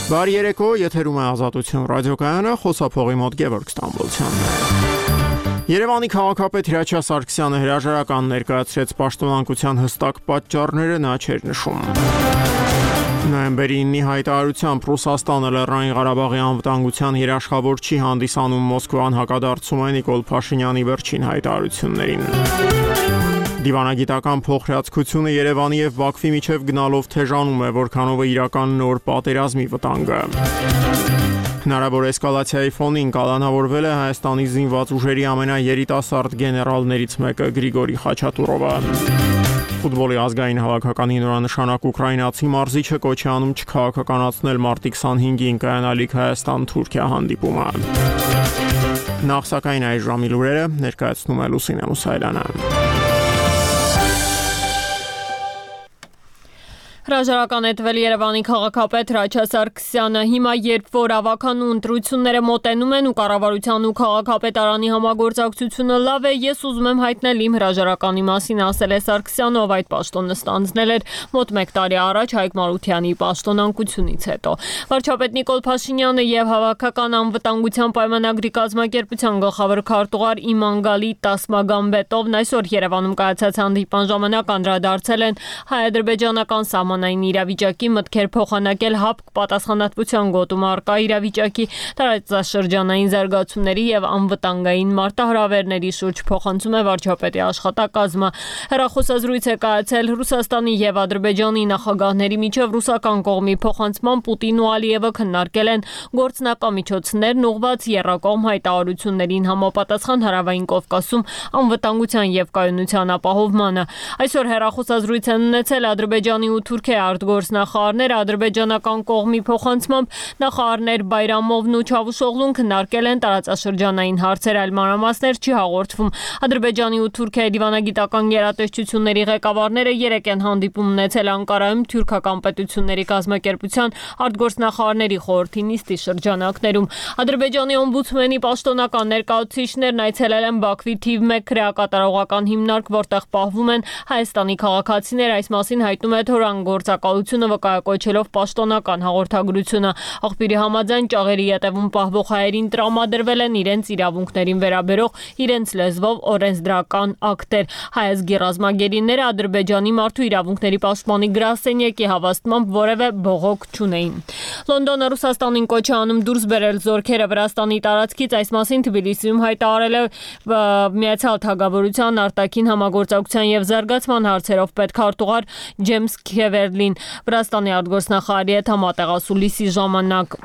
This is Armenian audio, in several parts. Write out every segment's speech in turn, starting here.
Բարի երեկո, եթերում է Ազատություն ռադիոկայանը, խոսափողի մոտ Գևորգ Ստամբոլցյանն է։ Երևանի քաղաքապետ Հրաչյա Սարգսյանը հրաժարական ներկայացրեց պաշտոնանկության հստակ պատճառները նա չէր նշում։ Նոյեմբերի 9-ի հայտարարությամբ Ռուսաստանը Լեռնային Ղարաբաղի անվտանգության երաշխավոր չի հանդիսանում Մոսկվան հակադարձում է Նիկոլ Փաշինյանի վերջին հայտարարություններին։ Դիվանագիտական փոխհրաձգությունը Երևանի եւ Բաքվի միջև գնալով թեժանում է, որքանով է իրական նոր պատերազմի վտանգը։ Հնարավոր էսկալացիայի ֆոնին կալանավորվել է Հայաստանի զինված ուժերի ամենաերիտասարդ գեներալներից մեկը Գրիգորի Խաչատուրովը։ Ֆուտբոլի ազգային հավաքականի նորանշանակ ուկրաինացի մարզիչը կոչ է անում չքաղաքականացնել մարտի 25-ին կայանալիք Հայաստան-Թուրքիա հանդիպումը։ Նախ սակայն այս ժամի լուրերը ներկայացնում է Լուսինե Մուսայելյանը։ Հրաժարական է տվել Երևանի քաղաքապետ Հրաչյա Սարգսյանը։ Հիմա երբ որ ավականու ընտրությունները մոտենում են ու կառավարության ու քաղաքապետարանի համագործակցությունը լավ է, ես ուզում եմ հայտնել իմ հրաժարականի մասին, ասել է Սարգսյանը, ով այդ պաշտոնը ստանձնել էր մոտ 1 տարի առաջ Հայկ Մարությանի պաշտոնանկությունից հետո։ Վարչապետ Նիկոլ Փաշինյանը եւ Հավաքական անվտանգության պայմանագրի կազմակերպության գլխավոր քարտուղար Իմանգալի Տասմագամբետովն այսօր Երևանում կայացած հանդիպան ժամանակ անդրադարձել են հայ-ադրբեջանական սահմանային իրավիճակի, մտքեր փոխանակել ՀԱՊԿ պատասխանատվության գոտում առկա իրավիճակի, տարածաշրջանային զարգացումների եւ անվտանգային մարտահրավերների շուրջ, փոխանցում է վարչապետի աշխատակազմը։ Հեռախոսազրույց է կայացել Ռուսաստանի եւ Ադրբեջանի նախագահների միջև ռուսական կողմի փոխանցման Պուտինն ու Ալիևը քննարկել են գործնակամիջոցներն ուղղված եռակողմ հայտարարություններին համապատասխան Հարավային Կովկասում անվտանգության եւ կայունության ապահովմանը։ Այսօր հեռախոսազրույց են ունեցել Ադրբեջանի ու Թուրքիայի արտգործնախարարները, ադրբեջանական կողմի փոխանցմամբ նախարարներ Բայրամովն ու Չավուշօղլուն քննարկել են տարածաշրջանային հարցեր, այլ մանրամասներ չի հաղորդվում։ Ադրբեջանի ու Թուրքիայի դիվանագիտական գերատեսչությունների ղեկավարները երեկ են հանդիպում ունեցել Անկարայում թուրքական պետությունների կազմակերպության արտգործնախարարների խորհրդի նիստի շրջանակներում։ Ադրբեջանի օմբուդսմենի պաշտոնական ներկայացուցիչներն այցելել են Բաքվի թիվ 1 քրեակատարողական հիմնարկ, որտեղ պահվում են Հայաստանի քաղաքացիներ, այս մասին հայտնում է Թորան գործակալությունը վկայակոչելով պաշտոնական հաղորդագրությունը։ Աղբյուրի համաձայն ճաղերի ետևում պահվող հայերին տրամադրվել են իրենց իրավունքներին վերաբերող իրենց լեզվով օրենսդրական ակտեր։ Հայազգի ռազմագերիները Ադրբեջանի մարդու իրավունքների պաշտպանի գրասենյակի հավաստմամբ որևէ բողոք չունեին։ Լոնդոնը Ռուսաստանին կոչ է անում դուրս բերել զորքերը Վրաստանի տարածքից, այս մասին Թբիլիսիում հայտարարել է Միացյալ Թագավորության արտաքին համագործակցության եւ զարգացման հարցերով պետքարտուղար Ջեյմս Քևերլին Վրաստանի արտգործնախարարի հետ համատեղասուլիսի ժամանակ։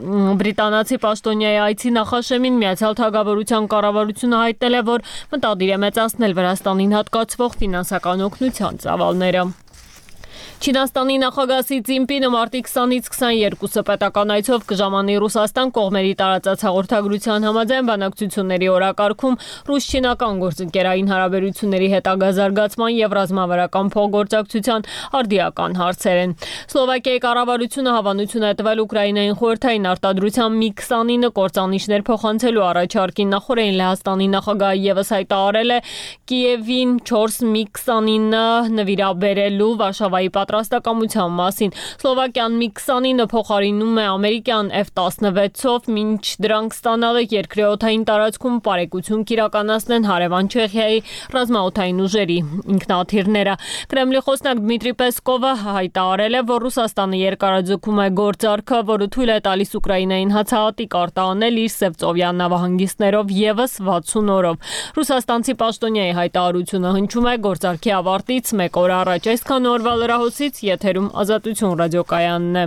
Բրիտանացի պաշտոնյայի այցի նախաշեմին Միացյալ Թագավորության կառավարությունը հայտնել է, որ մտադիր է մեծացնել Վրաստանին հատկացվող ֆինանսական օգնության ծավալները։ Չինաստանի նախագահ Սի Ցզինպինը մարտի 20-ից 22-ը պետական այցով կժամանի Ռուսաստան, կողմերի տարածած հաղորդագրության համաձայն բանակցությունների օրակարգում ռուս-չինական գործընկերային հարաբերությունների հետագա զարգացման եւ ռազմավարական փոխգործակցության արդիական հարցեր են։ Սլովակիայի կառավարությունը հավանություն է տվել Ուկրաինային խորհրդային արտադրության Mi-29 կործանիչներ փոխանցելու առաջարկին։ Նախորդին Լեհաստանի նախագահը եւս հայտարարել է Կիևին 4 Mi-29 նվիրաբերելու Վարշավայի պատրաստակամության մասին։ Սլովակիան Mi-29 փոխարինում է ամերիկյան F-16-ով, մինչ դրանք ստանալը երկրի օդային տարածքում պարեկություն կիրականացնեն հարևան Չեխիայի ռազմաօդային ուժերի ինքնաթիռները։ Կրեմլի խոսնակ Դմիտրի Պեսկովը հայտարարել է, որ Ռուսաստանը երկարաձգում է գործարքը, որը թույլ է տալիս Ուկրաինային հացահատիկ արտահանել իր Սևծովյան նավահանգիստներով եւս 60 օրով։ Ռուսաստանցի պաշտոնյայի հայտարարությունը հնչում է գործարքի ավարտից 1 օր առաջ։ Այսքան օրվա լրահոսից եթերում Ազատություն ռադիոկայանն է։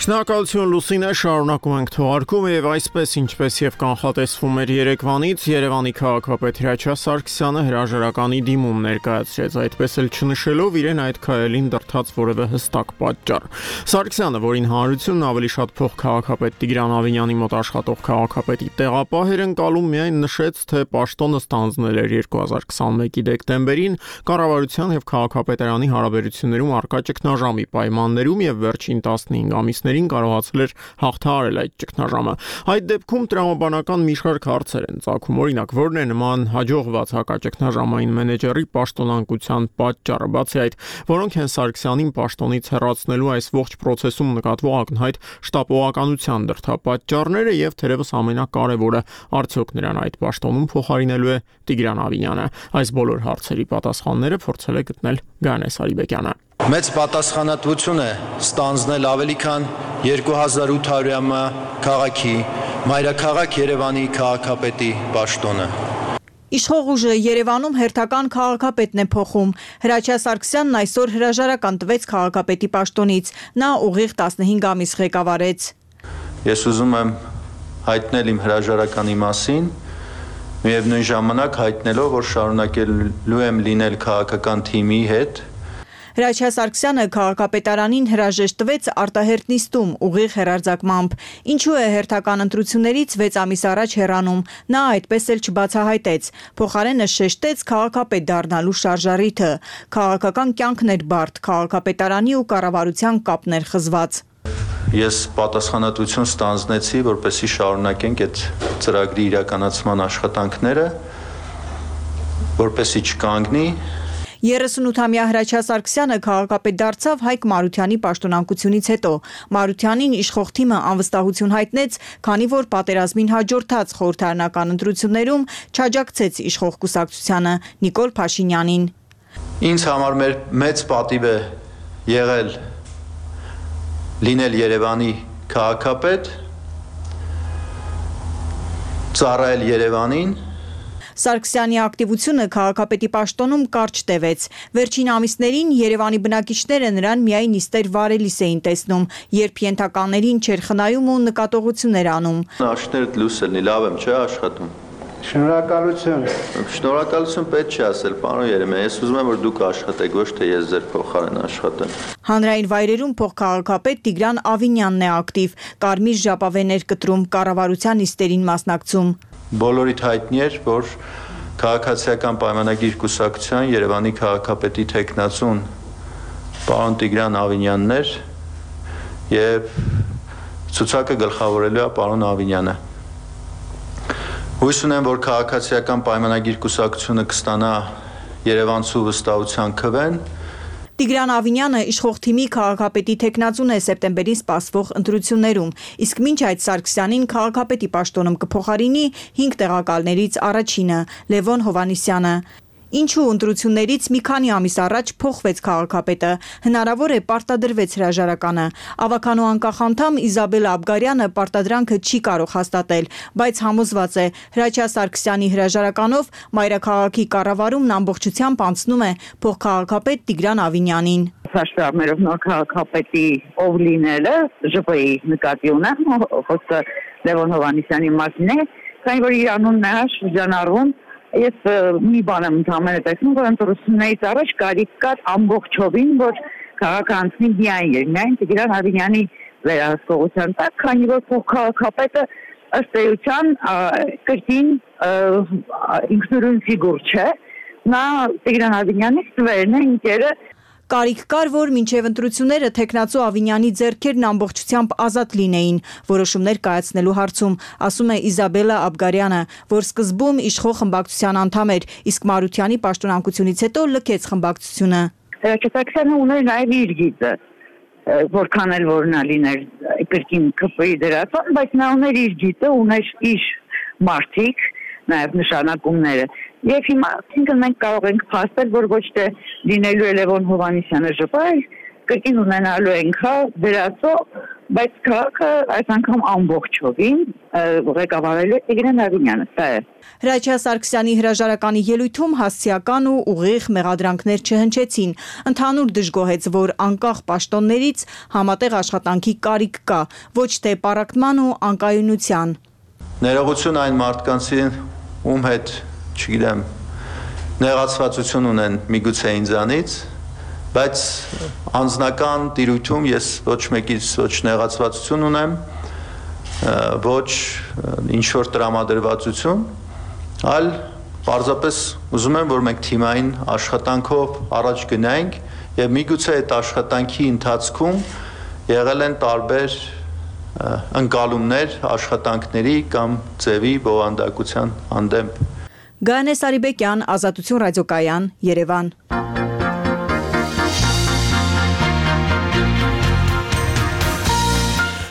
Շնորհակալություն Լուսինե, շարունակում ենք թողարկումը եւ այսպես ինչպես եւ կանխատեսվում էր Երևանից, Երևանի քաղաքապետ Հրաչյա Սարգսյանը հրաժարականի դիմում ներկայացրեց, այդպես էլ չնշելով իրեն այդ քայլին դրդած որևէ հստակ պատճառ։ Սարգսյանը, որին հանրությունն ավելի շատ փող քաղաքապետ Տիգրան Ավինյանի մոտ աշխատող քաղաքապետի տեղապահ էր ընկալում, միայն նշեց, թե պաշտոնը ստանձնել էր 2021-ի դեկտեմբերին կառավարության եւ քաղաքապետարանի հարաբերություններում առկա ճգնաժամի պայմաններում եւ վերջին 15 ամիսների պաշտոններին կարողացել էր հաղթահարել այդ ճգնաժամը։ Այդ դեպքում տրամաբանական մի շարք հարցեր են ծագում, օրինակ, որն է նման հաջողված հակաճգնաժամային մենեջերի պաշտոնանկության պատճառը, բացի այդ, որոնք են Սարգսյանին պաշտոնից հեռացնելու այս ողջ process-ում նկատվող ակնհայտ շտապողականության դրդապատճառները եւ թերևս ամենակարևորը, արդյոք նրան այդ պաշտոնում փոխարինելու է Տիգրան Ավինյանը։ Այս բոլոր հարցերի պատասխանները փորձել է գտնել Գայանե Սարիբեկյանը։ Մեծ պատասխանատվություն է ստանձնել ավելի քան 2800-ամյա քաղաքի մայրաքաղաք Երևանի քաղաքապետի պաշտոնը։ Իշխող ուժը Երևանում հերթական քաղաքապետն է փոխում։ Հրաչյա Սարգսյանն այսօր հրաժարական տվեց քաղաքապետի պաշտոնից։ Նա ուղիղ 15 ամիս ղեկավարեց։ Ես ուզում եմ հայտնել իմ հրաժարականի մասին, միևնույն ժամանակ հայտնելով, որ շարունակելու եմ լինել քաղաքական թիմի հետ։ Հրաչյա Սարգսյանը քաղաքապետարանին հրաժեշտ տվեց արտահերտ նիստում ուղիղ հեռարձակմամբ։ Ինչու է հերթական ընտրություններից 6 ամիս առաջ հեռանում, նա այդպես էլ չբացահայտեց։ Փոխարենը շեշտեց քաղաքապետ դառնալու շարժառիթը։ Քաղաքական կյանքն էր բարդ, քաղաքապետարանի ու կառավարության կապն էր խզված։ Ես պատասխանատվություն ստանձնեցի, որպեսզի շարունակենք այդ ծրագրի իրականացման աշխատանքները, որպեսզի չկանգնի։ 38-ամյա Հրաչյա Սարգսյանը քաղաքապետ դարձավ Հայկ Մարությանի պաշտոնանկությունից հետո։ Մարությանին իշխող թիմը անվստահություն հայտնեց, քանի որ պատերազմին հաջորդած խորհրդարանական ընտրություններում չաջակցեց իշխող կուսակցությանը Նիկոլ Փաշինյանին։ Ինձ համար մեծ պատիվ է եղել լինել Երևանի քաղաքապետ, ծառայել Երևանին։ Սարգսյանի ակտիվությունը քաղաքապետի պաշտոնում կարճ տևեց։ Վերջին ամիսներին Երևանի բնակիչները նրան միայն նիստեր վարելիս էին տեսնում, երբ ենթականերին չէր խնայում ու նկատողություններ անում։ Աշներդ լույս ելնի, լավ եմ, չէ՞ աշխատում։ Շնորհակալություն։ Շնորհակալություն պետք չի ասել, պարոն Երեմյան, ես ուզում եմ, որ դուք աշխատեք, ոչ թե ես ձեր փոխարեն աշխատեմ։ Հանրային վայրերում փոխքաղաքապետ Տիգրան Ավինյանն է ակտիվ, կարմիր ժապավեններ կտրում, կառավարության նիստերին մասնակցում։ Բոլորիդ հայտնի էր, որ քաղաքացիական պայմանագիր կուսակցության Երևանի քաղաքապետի թեկնածուն պարոն Տիգրան Ավինյանն էր եւ ցուցակը գլխավորելու է պարոն Ավինյանը։ Հույս ունեմ, որ քաղաքացիական պայմանագիր կուսակցությունը կստանա Երևանցու վստահության քվեն։ Տիգրան Ավինյանը իշխող թիմի քաղաքապետի թեկնածուն է սեպտեմբերին սպասվող ընտրություններում, իսկ մինչ այդ Սարգսյանին քաղաքապետի պաշտոնում կփոխարինի 5 տեղակալներից առաջինը՝ Լևոն Հովհաննիսյանը։ Ինչու ընտրություններից մի քանի ամիս առաջ փոխվեց քաղաքապետը, հնարավոր է պարտադրվեց հրաժարականը։ Ավականու անկախ անդամ Իզաբելա Աբգարյանը պարտադրանքը չի կարող հաստատել, բայց համոզված է Հրաչյա Սարգսյանի հրաժարականով մայրաքաղաքի կառավարումն ամբողջությամբ անցնում է փոխքաղաքապետ Տիգրան Ավինյանին։ Հաշվառներով նոր քաղաքապետի ով լինելը ԺՊ-ի նկատի ունեմ, խոսքը Լևոն Հովհաննիսյանի մասին է, քանի որ իր անունն է շրջանառվում։ Ես մի բան եմ ընդհանրապես տեսնում, որ ընտրություններից առաջ կարիք կար ամբողջովին, որ քաղաքը անցնի միայն Տիգրան Ավինյանի վերահսկողության տակ, քանի որ փոխքաղաքապետը ըստ էության կրկին ինքնուրույն ֆիգուր չէ, նա Տիգրան Ավինյանի ստվերն է, ինքերը։ Կարիք կար, որ մինչև ընտրությունները թեկնածու Ավինյանի ձեռքերն ամբողջությամբ ազատ լինեին որոշումներ կայացնելու հարցում, ասում է Իզաբելա Աբգարյանը, որ սկզբում իշխող խմբակցության անդամ էր, իսկ Մարությանի պաշտոնանկությունից հետո լքեց խմբակցությունը։ Սարգսյանը ուներ նաև իր գիծը, որքան էլ որ նա լիներ կրկին ԿՊ-ի դերասան, բայց նա ուներ իր գիծը, ուներ իր մարդիկ, նաև նշանակումները։ Եվ հիմա մենք կարող ենք փաստել, որ ոչ թե լինելու է Լևոն Հովհաննիսյանը ԺՊ, այլ կրկին ունենալու ենք դերասո, բայց քաղաքը այս անգամ ամբողջովին ղեկավարելու է Տիգրան Ավինյանը, սա է։ Հրաչյա Սարգսյանի հրաժարականի ելույթում հասցեական ու ուղիղ մեղադրանքներ չհնչեցին։ Ընդհանուր դժգոհեց, որ անկախ պաշտոններից համատեղ աշխատանքի կարիք կա, ոչ թե պառակտման ու անկայունության։ Ներողություն այն մարդկանցին, ում հետ, չգիտեմ, նեղացվածություն ունեն միգուցե ինձանից, բայց անձնական տիրույթում ես ոչ մեկից ոչ նեղացվածություն ունեմ, ոչ ինչ-որ տրամադրվածություն, այլ պարզապես ուզում եմ, որ մենք թիմային աշխատանքով առաջ գնայինք եւ միգուցե այդ աշխատանքի ընթացքում եղել են տարբեր ընկալումներ աշխատանքների կամ ձևի բովանդակության հանդեպ։ Գայանե Սարիբեկյան, Ազատություն ռադիոկայան, Երևան։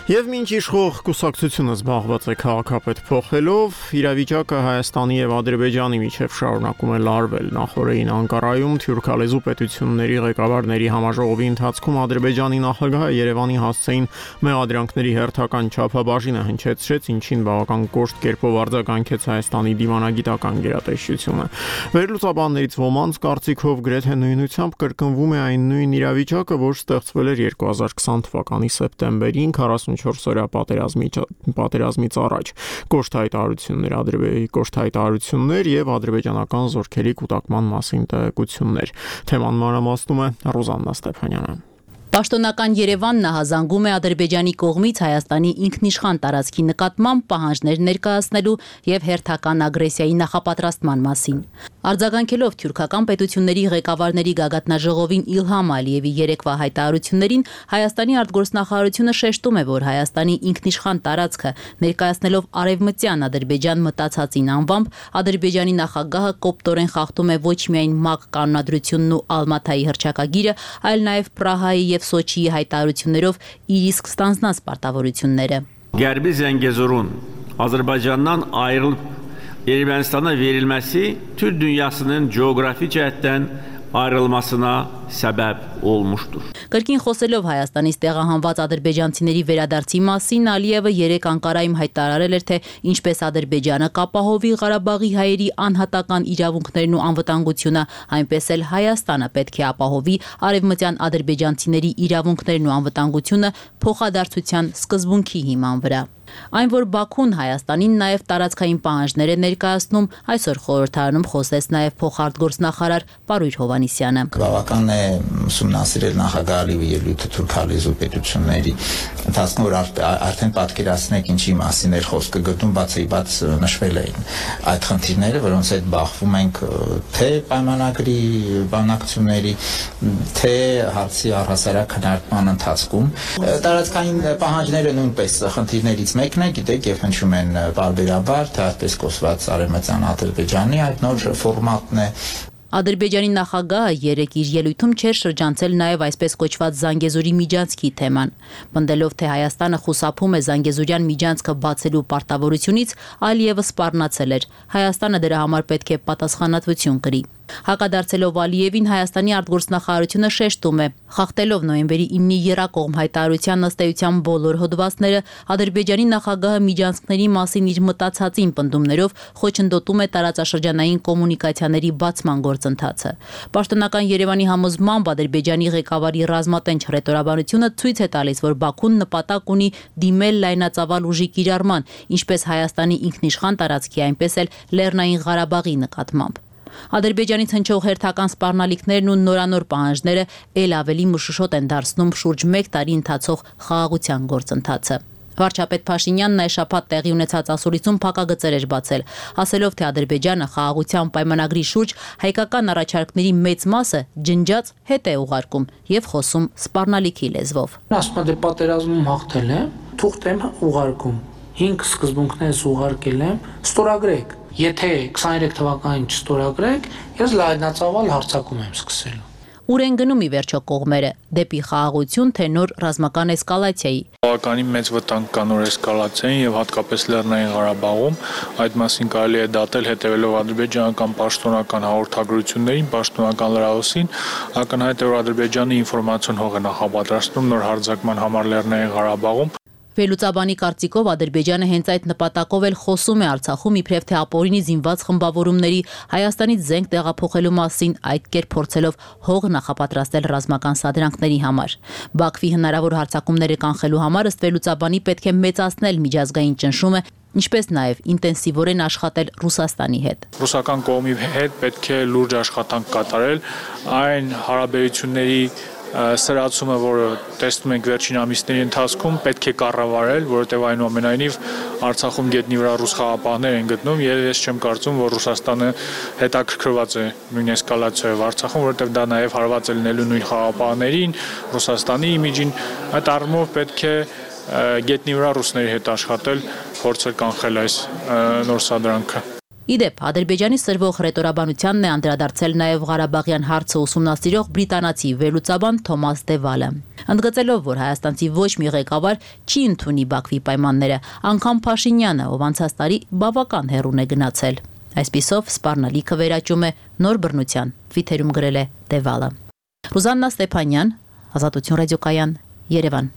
Եվ մինչ իշխող կուսակցությունը զբաղված է քաղաքապետ փոխելով, իրավիճակը Հայաստանի եւ Ադրբեջանի միջև շարունակում է լարվել։ Նախորդին Անկարայում թյուրքալեզու պետությունների ղեկավարների համաժողովի ընթացքում Ադրբեջանի նախագահը Երևանի հասցեին մեղադրանքների հերթական չափաբաժինը հնչեցրեց, ինչին բավական կոշտ կերպով արձագանքեց Հայաստանի դիվանագիտական գերատեսչությունը։ Վերլուծաբաններից ոմանց կարծիքով գրեթե նույնությամբ կրկնվում է այն նույն իրավիճակը, որ ստեղծվել էր 2020 թվականի սեպտեմբերին 44-օրյա պատերազմից առաջ։ Կոշտ հայտարարություններ եւ ադրբեջանական զորքերի կուտակման մասին տեղեկություններ։ Թեման մանրամասնում է Ռոզաննա Ստեփանյանը։ Պաշտոնական Երևանն ահազանգում է Ադրբեջանի կողմից Հայաստանի ինքնիշխան տարածքի նկատմամբ պահանջներ ներկայացնելու եւ հերթական ագրեսիայի նախապատրաստման մասին։ Արձագանքելով թյուրքական պետությունների ղեկավարների գագաթնաժողովին Իլհամ Ալիևի երեկվա հայտարարություններին, Հայաստանի արտգործնախարարությունը շեշտում է, որ Հայաստանի ինքնիշխան տարածքը ներկայացնելով արևմտյան Ադրբեջան մտածածին անվամբ, Ադրբեջանի նախագահը կոպտորեն խախտում է ոչ միայն ՄԱԿ կանոնադրությունն ու Ալմաթայի հռչակագիրը, այլ նաեւ Պրահայի եւ Սոչիի հայտարարություններով իր իսկ ստանձնած պարտավորությունները։ Gərbi Zəngəzurun Azərbaycandan ayrılıb Ermənistana verilməsi Türk dünyasının coğrafi cəhətdən ayrılmasına səbəb olmuşdur. Կրկին խոսելով Հայաստանից տեղահանված ադրբեջանցիների վերադարձի մասին, Ալիևը երեկ Անկարայում հայտարարել էր, թե ինչպես Ադրբեջանը կապահովի Ղարաբաղի հայերի անհատական իրավունքներն ու անվտանգությունը, այնպես էլ Հայաստանը պետք է ապահովի արևմտյան ադրբեջանցիների իրավունքներն ու անվտանգությունը փոխադարձության սկզբունքի հիման վրա։ Այն, որ Բաքուն Հայաստանին նաև տարածքային պահանջներ է ներկայացնում, այսօր խորհրդարանում խոսեց նաև փոխարտգործնախարար Պարույր Հովհաննիսյանը։ Բավական է ուսումնասիրել նախագահ Ալիևի ելույթը թուրքալեզու պետությունների ընթացքում, որ արդեն պատկերացնեք ինչի մասին էր խոսքը գտնում, բացի բաց նշվել էին այդ խնդիրները, որոնց հետ բախվում ենք թե պայմանագրի բանակցությունների, թե հարցի առհասարակ քննարկման ընթացքում։ Տարածքային պահանջները նույնպես խնդիրներից մեկն է, գիտեք, եւ հնչում են բարբերաբար, թե այսպես կոչված արևմտյան Ադրբեջանի այդ նոր ֆորմատն է։ Ադրբեջանի նախագահը երեկ իր ելույթում չէր շրջանցել նաև այսպես կոչված Զանգեզուրի միջանցքի թեման։ Պնդելով, թե Հայաստանը խուսափում է Զանգեզուրյան միջանցքը բացելու պարտավորությունից, Ալիևը սպառնացել էր։ Հայաստանը դրա համար պետք է պատասխանատվություն կրի։ Հակադարձելով Ալիևին, Հայաստանի արտգործնախարարությունը շեշտում է, խախտելով նոյեմբերի 9-ի եռակողմ հայտարարության ըստ էության բոլոր հոդվածները, Ադրբեջանի նախագահը միջանցքների մասին իր մտածածին պնդումներով խոչընդոտում է տարածաշրջանային կոմունիկացիաների բացման գործընթացը։ Պաշտոնական Երևանի համոզմամբ Ադրբեջանի ղեկավարի ռազմատենչ հռետորաբանությունը ցույց է տալիս, որ Բաքուն նպատակ ունի դիմել լայնածավալ ուժի կիրառման, ինչպես Հայաստանի ինքնիշխան տարածքի, այնպես էլ Լեռնային Ղարաբաղի նկատմամբ։ Ադրբեջանից հնչող հերթական սպառնալիքներն ու նորանոր պահանջները ել ավելի մշուշոտ են դարձնում շուրջ 1 տարի ընթացող խաղաղության գործընթացը։ Վարչապետ Փաշինյանն այս շաբաթ տեղի ունեցած ասուլիսում փակագծեր էր բացել, ասելով, թե Ադրբեջանը խաղաղության պայմանագրի շուրջ հայկական առաջարկների մեծ մասը ջնջած հետ է ուղարկում եւ խոսում սպառնալիքի լեզվով։ Ասում եմ, դե պատերազմում հաղթել եմ, թուղթ եմ ուղարկում, 5 սկզբունքներս ուղարկել եմ, ստորագրեք։ Եթե 23 թվականին չստորագրեք, ես լայնածավալ հարձակում եմ սկսելու։ Ուր են գնում ի վերջո կողմերը՝ դեպի խաղաղություն, թե նոր ռազմական էսկալացիայի։ Բավականին մեծ վտանգ կա նոր էսկալացիային եւ հատկապես Լեռնային Ղարաբաղում, այդ մասին կարելի է դատել հետևելով ադրբեջանական պաշտոնական հաղորդագրություններին, պաշտոնական լրահոսին, ակնհայտ է, որ Ադրբեջանի ինֆորմացիոն հող է նախապատրաստում նոր հարձակման համար Լեռնային Ղարաբաղում։ Վերլուծաբանի կարծիքով Ադրբեջանը հենց այդ նպատակով էլ խոսում է Արցախում իբրև թե ապօրինի զինված խմբավորումների Հայաստանից զենք տեղափոխելու մասին, այդ կերպ փորձելով հող նախապատրաստել ռազմական սադրանքների համար։ Բաքվի հնարավոր հարձակումները կանխելու համար ըստ վերլուծաբանի պետք է մեծացնել միջազգային ճնշումը, ինչպես նաև ինտենսիվորեն աշխատել Ռուսաստանի հետ։ Ռուսական կողմի հետ պետք է լուրջ աշխատանք կատարել այն հարաբերությունների սրացումը, որը տեսնում ենք վերջին ամիսների ընթացքում, պետք է կառավարել, որովհետև այնուամենայնիվ Արցախում գետնի վրա ռուս խաղապահներ են գտնում, եւ ես չեմ կարծում, որ Ռուսաստանը հետաքրքրված է նույն էսկալացիայով Արցախում, որովհետեւ դա նաեւ հարված է լինելու նույն խաղապահներին, Ռուսաստանի իմիջին, այդ առումով պետք է գետնի վրա ռուսների հետ աշխատել, փորձել կանխել այս նոր սադրանքը։ Իդեպ, Ադրբեջանի սրվող հռետորաբանությանն է անդրադարձել նաև Ղարաբաղյան հարցը ուսումնասիրող բրիտանացի վերլուծաբան Թոմաս Դևալը։ Ընդգծելով, որ հայաստանցի ոչ մի ղեկավար չի ընդունի Բաքվի պայմանները, անգամ Փաշինյանը, ով անցած տարի բավական հեռուն է գնացել։ Այսպիսով, սպառնալիքը վերաճում է նոր բռնության, Twitter-ում գրել է Դևալը։ Ռուզաննա Ստեփանյան, Ազատություն ռադիոկայան, Երևան։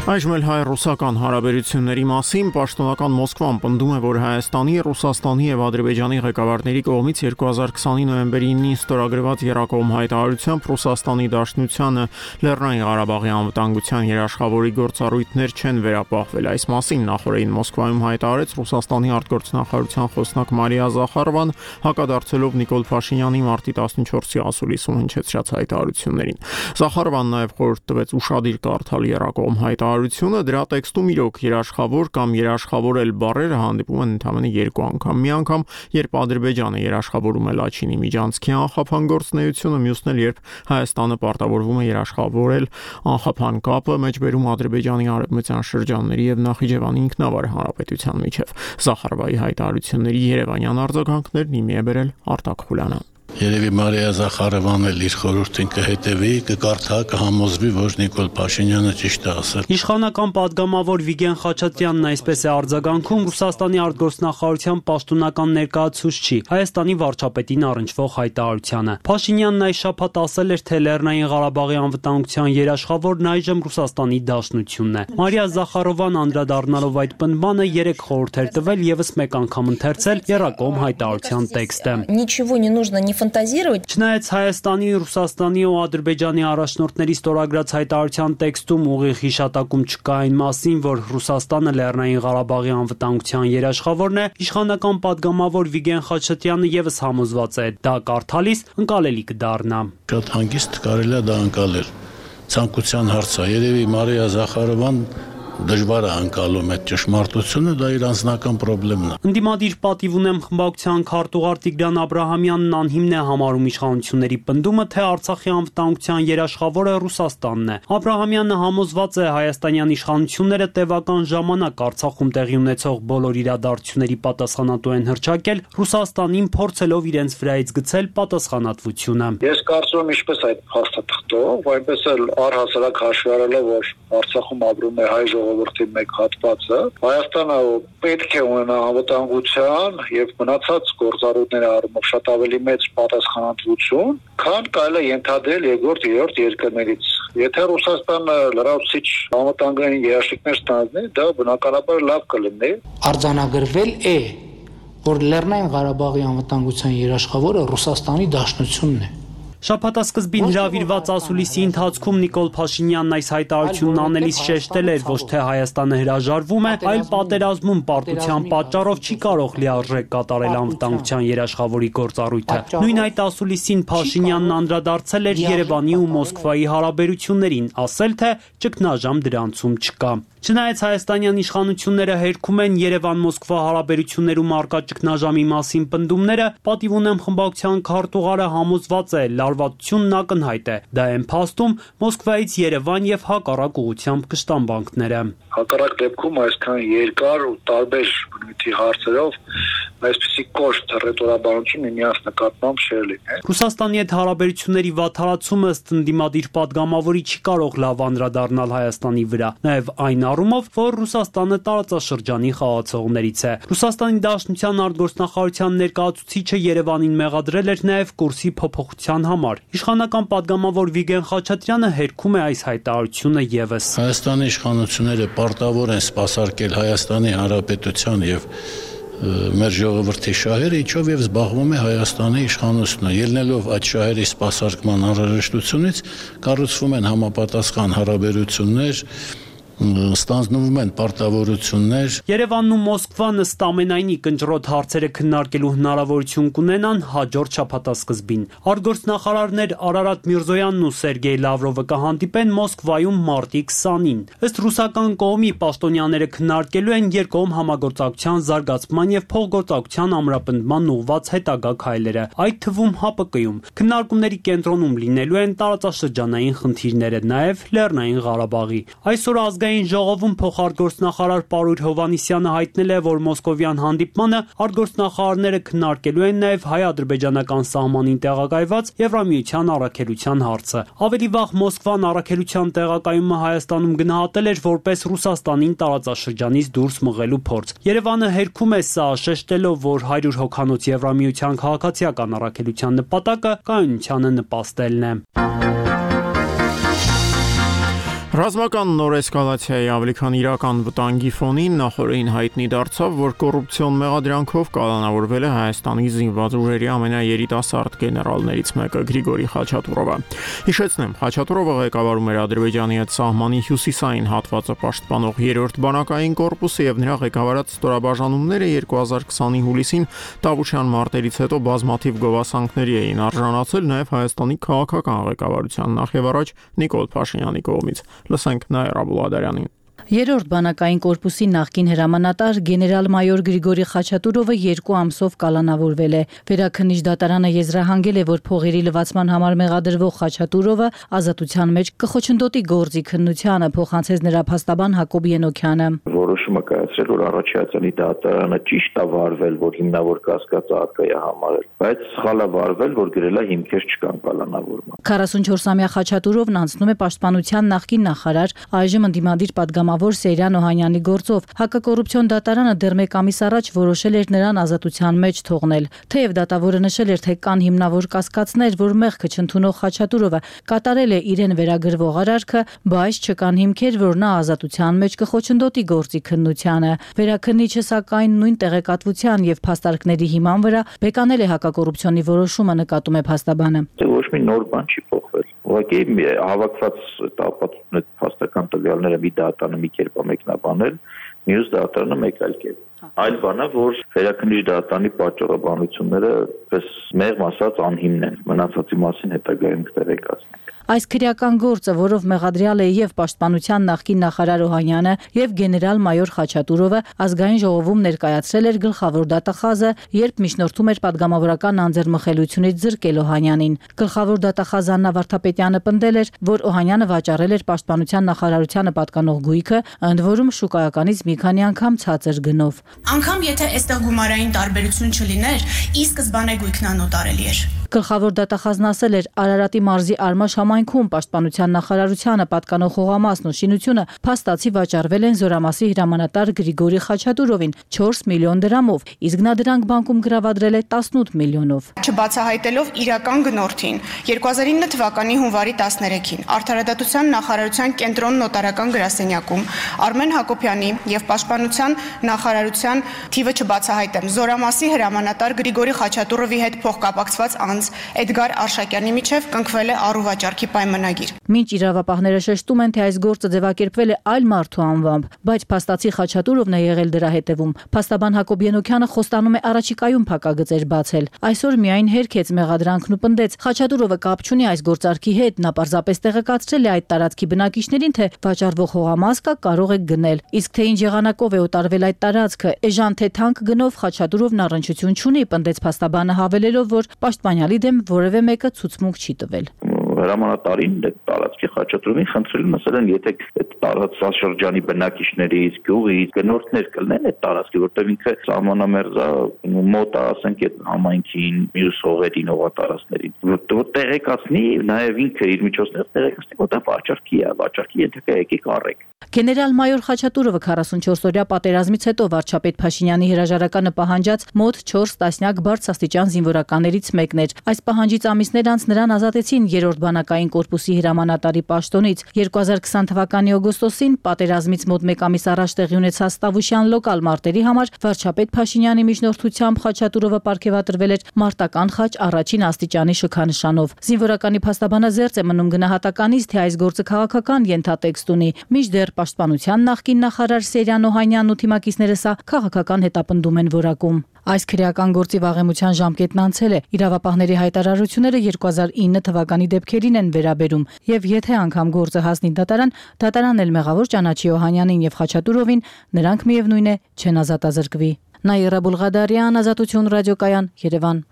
Այժմ էլ հայ-ռուսական հարաբերությունների մասին պաշտոնական Մոսկվան պնդում է, որ Հայաստանի, Ռուսաստանի եւ Ադրբեջանի ղեկավարների կողմից 2020 նոյեմբերի 9-ին ստորագրված Եռակողմ հայտարարությամբ Ռուսաստանի Դաշնությանը Լեռնային Ղարաբաղի անվտանգության երաշխավորի գործառույթներ չեն վերապահվել։ Այս մասին նախորդին Մոսկվայում հայտարարեց Ռուսաստանի արտգործնախարարության խոսնակ Մարիա Զախարովան, հակադարձելով Նիկոլ Փաշինյանի մարտի 14-ի ասուլիսում հնչեցրած հայտարարություններին։ Զախարովան նաեւ խորհուրդ տվեց ուշադիր կարդալ Եռակողմ հայտարարությունը, դրա տեքստում իրոք երաշխավոր կամ երաշխավորել բառերը հանդիպում են ընդամենը 2 անգամ։ Մի անգամ, երբ Ադրբեջանը երաշխավորում է Լաչինի միջանցքի անխափան գործունեությունը, մյուսն էլ երբ Հայաստանը պարտավորվում է երաշխավորել անխափան կապը մեջբերում Ադրբեջանի արևմտյան շրջանների եւ Նախիջևանի ինքնավար հանրապետության միջև։ Զախարովայի հայտարարությունների երևանյան արձագանքներն իմի է բերել Արտակ Խուլյանը։ Երևի Մարիա Զախարովան էլ իր խորհրդին կհետևի, կկարդա, կհամոզվի, որ Նիկոլ Փաշինյանը ճիշտ է ասել։ Իշխանական պատգամավոր Վիգեն Խաչատրյանն այսպես է արձագանքում Ռուսաստանի արտգործնախարարության պաշտոնական ներկայացուցչի Հայաստանի վարչապետին առնչվող հայտարարությանը։ Փաշինյանն այս շաբաթ ասել էր, թե Լեռնային Ղարաբաղի անվտանգության երաշխավորն այժմ Ռուսաստանի Դաշնությունն է։ Մարիա Զախարովան անդրադառնալով այդ պնդմանը 3 խորհուրդ էր տվել եւս մեկ անգամ ընթերցել Եռակողմ հայտարարության տեքստը։ Ничего не нужно не ֆանտազիրovat։ Չնայած Հայաստանի, Ռուսաստանի ու Ադրբեջանի առաջնորդների ստորագրած հայտարարության տեքստում ուղիղ հիշատակում չկա այն մասին, որ Ռուսաստանը Լեռնային Ղարաբաղի անվտանգության երաշխավորն է, իշխանական պատգամավոր Վիգեն Խաչատրյանը եւս համոզված է, դա կարդալիս ընկալելի կդառնա։ Շատ հանգիստ կարելի է դա ընկալել։ Ցանկության հարց է, երևի Մարիա Զախարովան դժվար է անցալում այդ ճշմարտությունը, դա իր անձնական խնդիրն է։ Ընդդիմադիր պատիվ ունեմ խմբակցության քարտուղար Տիգրան Աբրահամյանն անհիմն է համարում իշխանությունների պնդումը, թե Արցախի անվտանգության երաշխավորը Ռուսաստանն է։ Աբրահամյանը համոզված է հայաստանյան իշխանությունները տևական ժամանակ Արցախում տեղի ունեցող բոլոր իրադարձությունների պատասխանատու են հռչակել, Ռուսաստանին փորձելով իրենց վրայից գցել պատասխանատվությունը։ Ես կարծում եմ, ինչպես այդ փաստաթղթով, այնպես էլ առհասարակ հաշվի առնելով, որ Արցախում ապրում է հայ ժողովրդի մեկ հատվածը, Հայաստանը պետք է ունենա անվտանգության եւ մնացած գործառույթների առումով շատ ավելի մեծ պատասխանատվություն, քան կարելի է ենթադրել երկրորդ, երրորդ երկրներից։ Եթե Ռուսաստանը լրացուցիչ անվտանգային երաշխիքներ ստանձնի, դա բնականաբար լավ կլինի։ Արձանագրվել է, որ Լեռնային Ղարաբաղի անվտանգության երաշխավորը Ռուսաստանի Դաշնությունն է։ Շաբաթասկզբին հրավիրված ասուլիսի ընթացքում Նիկոլ Փաշինյանն այս հայտարարությունն անելիս շեշտել էր, ոչ թե Հայաստանը հրաժարվում է, այլ պատերազմում պարտության պատճառով չի կարող լիարժեք կատարել անվտանգության երաշխավորի գործառույթը։ Նույն այդ ասուլիսին Փաշինյանն անդրադարձել էր Երևանի ու Մոսկվայի հարաբերություններին, ասել թե ճգնաժամ դրանցում չկա։ Չնայած հայաստանյան իշխանությունները հերքում են Երևան-Մոսկվա հարաբերություններում առկա ճգնաժամի մասին պնդումները, պատիվ ունեմ խմբակցության քարտուղարը համոզված է, լարվածությունն ակնհայտ է։ Դա են փաստում Մոսկվայից Երևան եւ հակառակ ուղղությամբ կշտամբանքները։ Հակառակ դեպքում այսքան երկար ու տարբեր բնույթի հարցերով այսպիսի կոշտ ռետորաբանություն միմյանց նկատմամբ չէր լինի։ Ռուսաստանի հետ հարաբերությունների վատթարացումը ըստ ընդդիմադիր պատգամավորի չի կարող լավ անդրադառնալ Հայաստանի վրա, նաեւ այն առումով, որ Ռուսաստանը տարածաշրջանի խաղացողներից է։ Ռուսաստանի Դաշնության արտգործնախարարության ներկայացուցիչը Երևանին մեղադրել էր նաեւ կուրսի փոփոխության համար։ Իշխանական պատգամավոր Վիգեն Խաչատրյանը հերքում է այս հայտարարությունը եւս։ Հայաստանի իշխանությունները պարտավոր են սպասարկել Հայաստանի Հանրապետության եւ մեր ժողովրդի շահերը, ինչով եւ զբաղվում է Հայաստանի իշխանությունը։ Ելնելով այդ շահերի սպասարկման անհրաժեշտությունից կառուցվում են համապատասխան հարաբերություններ ստանձնվում են պարտավորություններ։ Երևանն ու Մոսկվան ըստ ամենայնի կնճռոտ հարցերը քննարկելու հնարավորություն կունենան հաջորդ շաբաթասկզբին։ Արտգործնախարարներ Արարատ Միրզոյանն ու Սերգեյ Լավրովը կհանդիպեն Մոսկվայում մարտի 20-ին։ Ըստ ռուսական կողմի պաշտոնյաները քննարկելու են երկկողմ համագործակցության զարգացման եւ փոխգործակցության ամրապնդման ուղղված հետագա քայլերը, այդ թվում ՀԱՊԿ-ում։ Քննարկումների կենտրոնում լինելու են տարածաշրջանային խնդիրները, նաեւ Լեռնային Ղարաբաղի։ Այսօր ազգային ժողովում փոխարտգործնախարար Պարույր Հովհաննիսյանը հայտնել է, որ մոսկովյան հանդիպմանը արտգործնախարարները քննարկելու են նաև հայ-ադրբեջանական սահմանին տեղակայված Եվրամիության առաքելության հարցը։ Ավելի վաղ Մոսկվան առաքելության տեղակայումը Հայաստանում գնահատել էր որպես Ռուսաստանին տարածաշրջանից դուրս մղելու փորձ։ Երևանը հերքում է սա, շեշտելով, որ 100 հոգանոց Եվրամիության քաղաքացիական առաքելության նպատակը կայունությանը նպաստելն է։ Ռազմական նոր էսկալացիայի ավելի քան իրական վտանգի ֆոնին նախորդին հայտնի դարձավ, որ կոռուպցիոն մեղադրանքով կալանավորվել է Հայաստանի զինված ուժերի ամենաերիտասարդ գեներալներից մեկը Գրիգորի Խաչատուրովը։ Հիշեցնեմ, Խաչատուրովը ղեկավարում էր Ադրբեջանի հետ սահմանի հյուսիսային հատվածը պաշտպանող 3-րդ բանակային կորպուսը եւ նրա ղեկավարած ստորաբաժանումները 2020-ի հուլիսին Տավուշյան մարտերից հետո բազմաթիվ գովասանքների էին արժանացել նաեւ Հայաստանի քաղաքական ղեկավարության նախևառաջ Նիկոլ Փաշինյանի կողմից։ Լսենք Նաիրա Բուլադարյանին։ Երրորդ բանակային կորպուսի նախկին հրամանատար գեներալ-մայոր Գրիգորի Խաչատուրովը 2 ամսով կալանավորվել է։ Վերաքննիչ դատարանը եզրահանգել է, որ փողերի լվացման համար մեղադրվող Խաչատուրովը ազատության մեջ կխոչընդոտի գործի քննությանը, փոխանցեց նրա փաստաբան Հակոբ Ենոքյանը։ Որոշումը կայացրել, որ առաջացանի դատարանը ճիշտ է վարվել, որ հիմնավոր կասկածը արկա է համարել, բայց սխալ է վարվել, որ գրել է հիմքեր չկան կալանավորման։ 44-ամյա Խաչատուրովն անցնում է պաշտպանության նախկին նախարար, այժմ ընդդիմադիր պատգամավոր Սեյրան Օհանյանի գործով։ Հակակոռուպցիոն դատարանը դեռ 1 ամիս առաջ որոշել էր նրան ազատության մեջ թողնել։ Թեև դատավորը նշել էր, թե կան հիմնավոր կասկածներ, որ մեղքը չընդունող Խաչատուրովը կատարել է իրեն վերագրվող արարքը, բայց չկան հիմքեր, որ նա ազատության մեջ կխոչընդոտի գործի քննությանը։ Վերաքննիչը սակայն նույն տեղեկատվության եւ փաստարկների հիման վրա բեկանել է հակակոռուպցիոնի որոշումը, նկատում է փաստաբանը։ Ոչ մի նոր բան չի փոխվել։ Ուղղակի հավաքված ապացույցները փաստական տվյալները մի դատարանը մի կերպ է մեկնաբանել, մյուս դատարանը մեկ այլ կերպ։ Այլ բանը, որ վերաքննիչ դատարանի պատճառաբանությունները պես մեղմ ասած անհիմն են, մնացածի մասին հետագայում կտեղեկացնենք։ Այս քրեական գործը, որով մեղադրյալ է եւ պաշտպանության նախկին նախարար Օհանյանը եւ գեներալ-մայոր Խաչատուրովը, ազգային ժողովում ներկայացրել էր գլխավոր դատախազը, երբ միջնորդում էր падգամավորական անձեռմխելությունից զրկել Օհանյանին։ Գլխավոր դատախազ Աննա Վարդապետյանը պնդել էր, որ Օհանյանը վաճառել էր պաշտպանության նախարարությանը պատկանող գույքը, ընդ որում շուկայականից մի քանի անգամ ցածր գնով։ Անկամ եթե այստեղ գումարային տարբերություն չլիներ, ի սկզբանե գույքն անոտարելի էր։ Գլխավոր դատախազն ասել էր, Արարատի մարզի Արմաշ համայնքում պաշտպանության նախարարությանը պատկանող հողամասն ու շինությունը փաստացի վաճառվել են Զորամասի հրամանատար Գրիգորի Խաչատուրովին 4 միլիոն դրամով, իսկ նա դրանք բանկում գրավադրել է 18 միլիոնով։ Չբացահայտելով իրական գնորդին 2009 թվականի հունվարի 13-ին Արդարադատության նախարարության կենտրոն նոտարական գրասենյակում Արմեն Հակոբյանի եւ պաշտպանության նախարարության թիվը չբացահայտեմ Զորամասի հրամանատար Գրիգորի Խաչատուրովի հետ փոխկապակցված անձ Էդգար Արշակյանի միջև կնքվել է առուվաճառքի պայմանագիր։ Մինչ իրավապահները շեշտում են, թե այս գործը ձևակերպվել է այլ մարդու անվամբ, բայց փաստացի Խաչատուրովն է եղել դրա հետևում։ Փաստաբան Հակոբ Ենոքյանը խոստանում է առաջիկայում փակագծեր բացել։ Այսօր միայն հերքեց մեղադրանքն ու պնդեց, Խաչատուրովը կապ չունի այս գործարքի հետ, նա պարզապես տեղեկացրել է այդ տարածքի բնակիչներին, թե վաճառվող հողամաս կա, կարող եք գնել։ Իսկ թե ինչ եղանակով է օտարվել այդ տարածքը, էժան թե թանկ գնով Խաչատուրովն առնչություն չունի, պնդեց փաստաբանը, հավելելով, որ պաշտպանյալի դեմ որևէ մեկը ցուցմունք չի տվել։ Հրամանատարին տարածքի Խաչատուրովին խնդրել են, ասել են, եթե այդ տարածաշրջանի բնակիչներից, գյուղից գնորդներ կլինեն այդ տարածքի, որտեղ ինքը սահմանամերձ է, մոտ է, ասենք, այդ համայնքին, մյուս հողերին, հողատարածքներին, որ տեղեկացնի, նաև ինքը իր միջոցներով տեղեկացնի, որ դա վաճառքի ենթակա եկեք առեք։ Գեներալ-մայոր Խաչատուրովը 44-օրյա պատերազմից հետո վարչապետ Փաշինյանի հրաժարականը պահանջած մոտ 4 տասնյակ բարձրաստիճան զինվորականներից մեկն էր։ Այս պահանջից ամիսներ անց նրան ազատեցին 3-րդ բանակային կորպուսի հրամանատարի պաշտոնից։ 2020 թվականի օգոստոսին պատերազմից մոտ 1 ամիս առաջ տեղի ունեցած Տավուշյան լոկալ մարտերի համար վարչապետ Փաշինյանի միջնորդությամբ Խաչատուրովը պարգևատրվել էր մարտական խաչ առաջին աստիճանի շքանշանով։ Զինվորականի փաստաբանը զերծ է մնում գնահատականից, թե այս գործը քաղաքական ենթատեքստ ունի, մինչդեռ Պաշտպանության նախկին նախարար Սերյան Օհանյանն ու թիմակիցները սա քաղաքական հետապնդում են որակում։ Այս քրեական գործի վաղեմության ժամկետն անցել է։ Իրավապահների հայտարարությունները 2009 թվականի դեպքերին են վերաբերում, եւ եթե անգամ գործը հասնի դատարան, դատարանն էլ մեղավոր ճանաչի Օհանյանին եւ Խաչատուրովին, նրանք միևնույն է չեն ազատազրկվի։ Նաիրա Բուլղադարյան, Ազատություն ռադիոկայան, Երևան։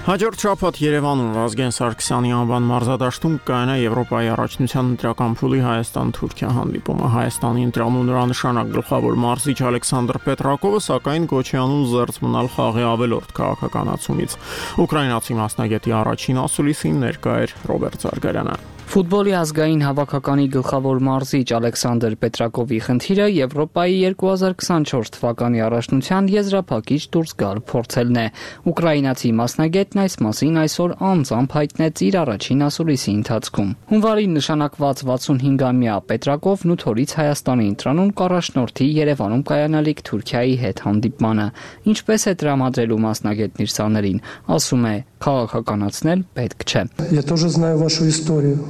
Հաջորդ շաբաթ Երևանում Վազգեն Սարգսյանի անվան մարզադաշտում կայանա Եվրոպայի առաջնության ընտրական փուլի Հայաստան-Թուրքիա հանդիպումը։ Հայաստանի ընտրանում նրանշանակ գլխավոր մարզիչ Ալեքսանդր Պետրակովը սակայն կոչ է անում զերծ մնալ խաղի ավելորդ քաղաքականացումից։ Ուկրաինացի մասնագետի առաջին ասուլիսին ներկա էր Ռոբերտ Զարգարյանը։ Ֆուտբոլի ազգային հավաքականի գլխավոր մարզիչ Ալեքսանդր Պետրակովի խնդիրը Եվրոպայի 2024 թվականի առաջնության եզրափակիչ դուրս գալ փորձելն է։ Ուկրաինացի մասնագետն այս մասին այսօր անձամբ հայտնեց իր առաջին ասուլիսի ընթացքում։ Հունվարին նշանակված 65-ամյա Պետրակովն 8 օրից Հայաստանի ընտրանում կառաջնորդի Երևանում կայանալիք Թուրքիայի հետ հանդիպմանը։ Ինչպես է տրամադրելու մասնագետն իր սաներին, ասում է, քաղաքականացնել պետք չէ։ Я тоже знаю вашу историю.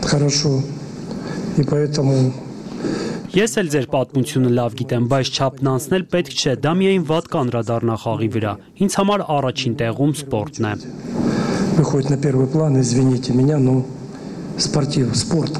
Хорошо. И поэтому Ես էլ ձեր պատմությունը лավ գիտեմ, բայց չափն անցնել պետք չէ, դա միայն վատ կանրադառնա խաղի վրա։ Ինձ համար առաջին տեղում սպորտն է։ Выходит на первый план, извините меня, но спорт.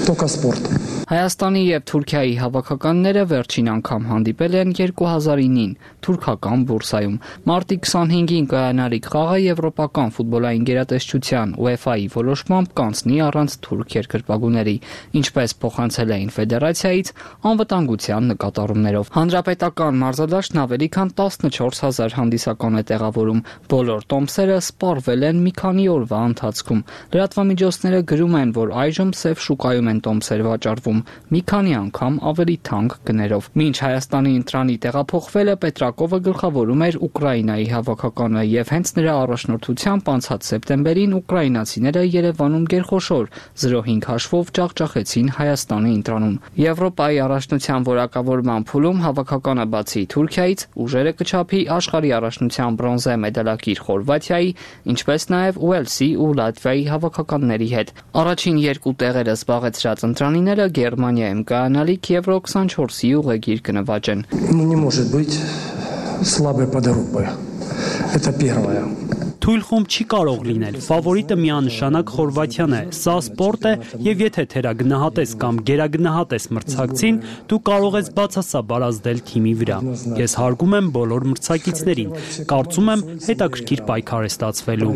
Только спорт. Հայաստանի եւ Թուրքիայի հավաքականները վերջին անգամ հանդիպել են 2009-ին թուրքական բուրսայում։ Մարտի 25-ին կայանալիք խաղը եվրոպական ֆուտբոլային գերատեսչության UEFA-ի որոշմամբ կանցնի առանց թուրք երկրպագուների, ինչպես փոխանցել էին ֆեդերացիայից անվտանգության նկատառումներով։ Հանրապետական մարզադաշտն ավելի քան 14000 հանդիսական է տեղավորում։ Բոլոր տոմսերը սպառվել են մի քանի օրվա ընթացքում։ Լրատվամիջոցները գրում են, որ այժմ սև շուկայում են տոմսեր վաճառվում մի քանի անգամ ավելի թանկ գներով։ Մինչ Հայաստանի ընտրանի տեղափոխվելը Պետրակովը գլխավորում էր Ուկրաինայի հավաքականը եւ հենց նրա առաջնորդությամբ անցած սեպտեմբերին ուկրաինացիները Երևանում գերխոշոր 0.5 հաշվով ջախջախեցին Հայաստանի ընտրանում։ Եվրոպայի առաջնության որակավորման փուլում հավաքականը բացի Թուրքիայից ուժերը կչափի աշխարհի առաջնության բրոնզե մեդալակիր Խորվաթիայի, ինչպես նաեւ Ուելսի ու Լատվիայի հավաքականների հետ։ Առաջին երկու տեղերը զբաղեցրած ընտրանիները Գերմանիայում կայանալիք Եվրո 24-ի ուղեգիր կնվաճեն։ Ну не может быть слабой подругой. Это первое. Թույլ խումբ չի կարող լինել։ Ֆավորիտը միանշանակ Խորվաթիան է։ Սա սպորտ է, եւ եթե թերագնահատես կամ գերագնահատես մրցակցին, դու կարող ես բացասաբար ազդել թիմի վրա։ Ես հարգում եմ բոլոր մրցակիցներին։ Կարծում եմ, հետաքրքիր պայքար է ստացվելու։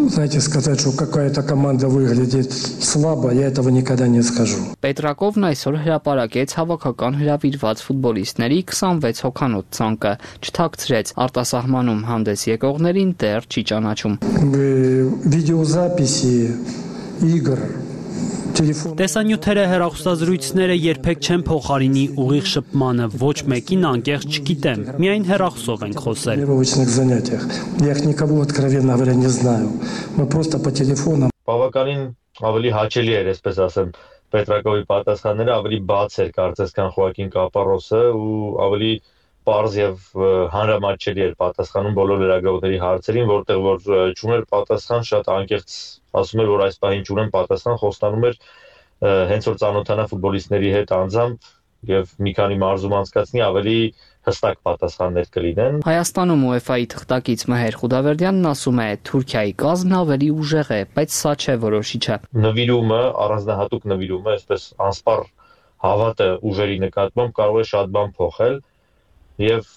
Знаете, сказать, что какая-то команда выглядит слабо, я этого никогда не скажу. Պետրակովն այսօր հրապարակեց հավաքական հրավիրված ֆուտբոլիստների 26 հոգանոց ցանկը, չթաքցրեց արտասահմանում հանդես եկողներին դեռ չի ճանաչում։ Видеозаписи игр Տեսանյութերը, հեռախոսազրույցները երբեք չեն փոխարինի ուղիղ շփմանը, ոչ մեկին անկեղծ չգիտեմ, միայն հեռախոսով ենք խոսել։ Я их никого откровенно говоря не знаю. Мы просто по телефону. Բավականին ավելի հաճելի էր, այսպես ասեմ, Պետրակովի պատասխանները ավելի բաց էր կարծես քան Խոակին Կապարոսը ու ավելի պարզ եւ հանրամատչելի էր պատասխանում բոլոր լրագրողների հարցերին, որտեղ որ չուներ պատասխան, շատ անկեղծ ասում էր, որ այս պահին չունեմ պատասխան, խոստանում էր հենց որ ծանոթանա ֆուտբոլիստների հետ անձամբ եւ մի քանի մարզում անցկացնի ավելի հստակ պատասխաններ կլինեն։ Հայաստանում UEFA-ի թղթակից Մհեր Խուդավերդյանն ասում է, Թուրքիայի կազմն ավելի ուժեղ է, բայց սա չէ որոշիչը։ Նվիրումը, առանձնահատուկ նվիրումը, այսպես անսպառ հավատը ուժերի նկատմամբ կարող է շատ բան փոխել։ Եվ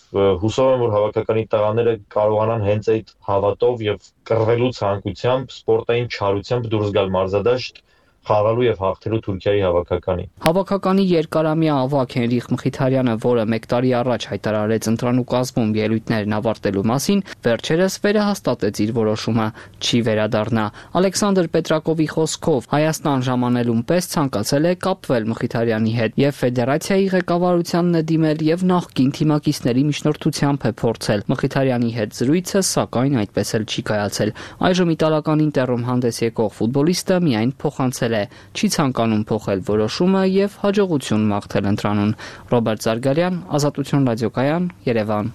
հուսով եմ, որ հավաքականի տղաները կարողանան հենց այդ հավատով եւ կռվելու ցանկությամբ, սպորտային չարությամբ դուրս գալ մարզադաշտ խաղալու եւ հաղթելու Թուրքիայի հավաքականի։ Հավաքականի երկարամյա ավագ Հենրիխ Մխիթարյանը, որը 1 տարի առաջ հայտարարեց ընտրանու կազմում ելույթներն ավարտելու մասին, վերջերս վերահաստատեց իր որոշումը՝ չի վերադառնա։ Ալեքսանդր Պետրակովի խոսքով Հայաստան ժամանելուն պես ցանկացել է կապվել Մխիթարյանի հետ եւ ֆեդերացիայի ղեկավարությանն է դիմել եւ նախկին թիմակիցների միջնորդությամբ է փորձել։ Մխիթարյանի հետ զրույցը սակայն այդպես էլ չի կայացել։ Այժմ իտալական Ինտերում հանդես եկող ֆուտբոլիստը միայն փոխանցել չի ցանկանում փոխել որոշումը եւ հաջողություն մաղթել ընտրանուն։ Ռոբերտ Զարգարյան, Ազատություն ռադիոկայան, Երևան։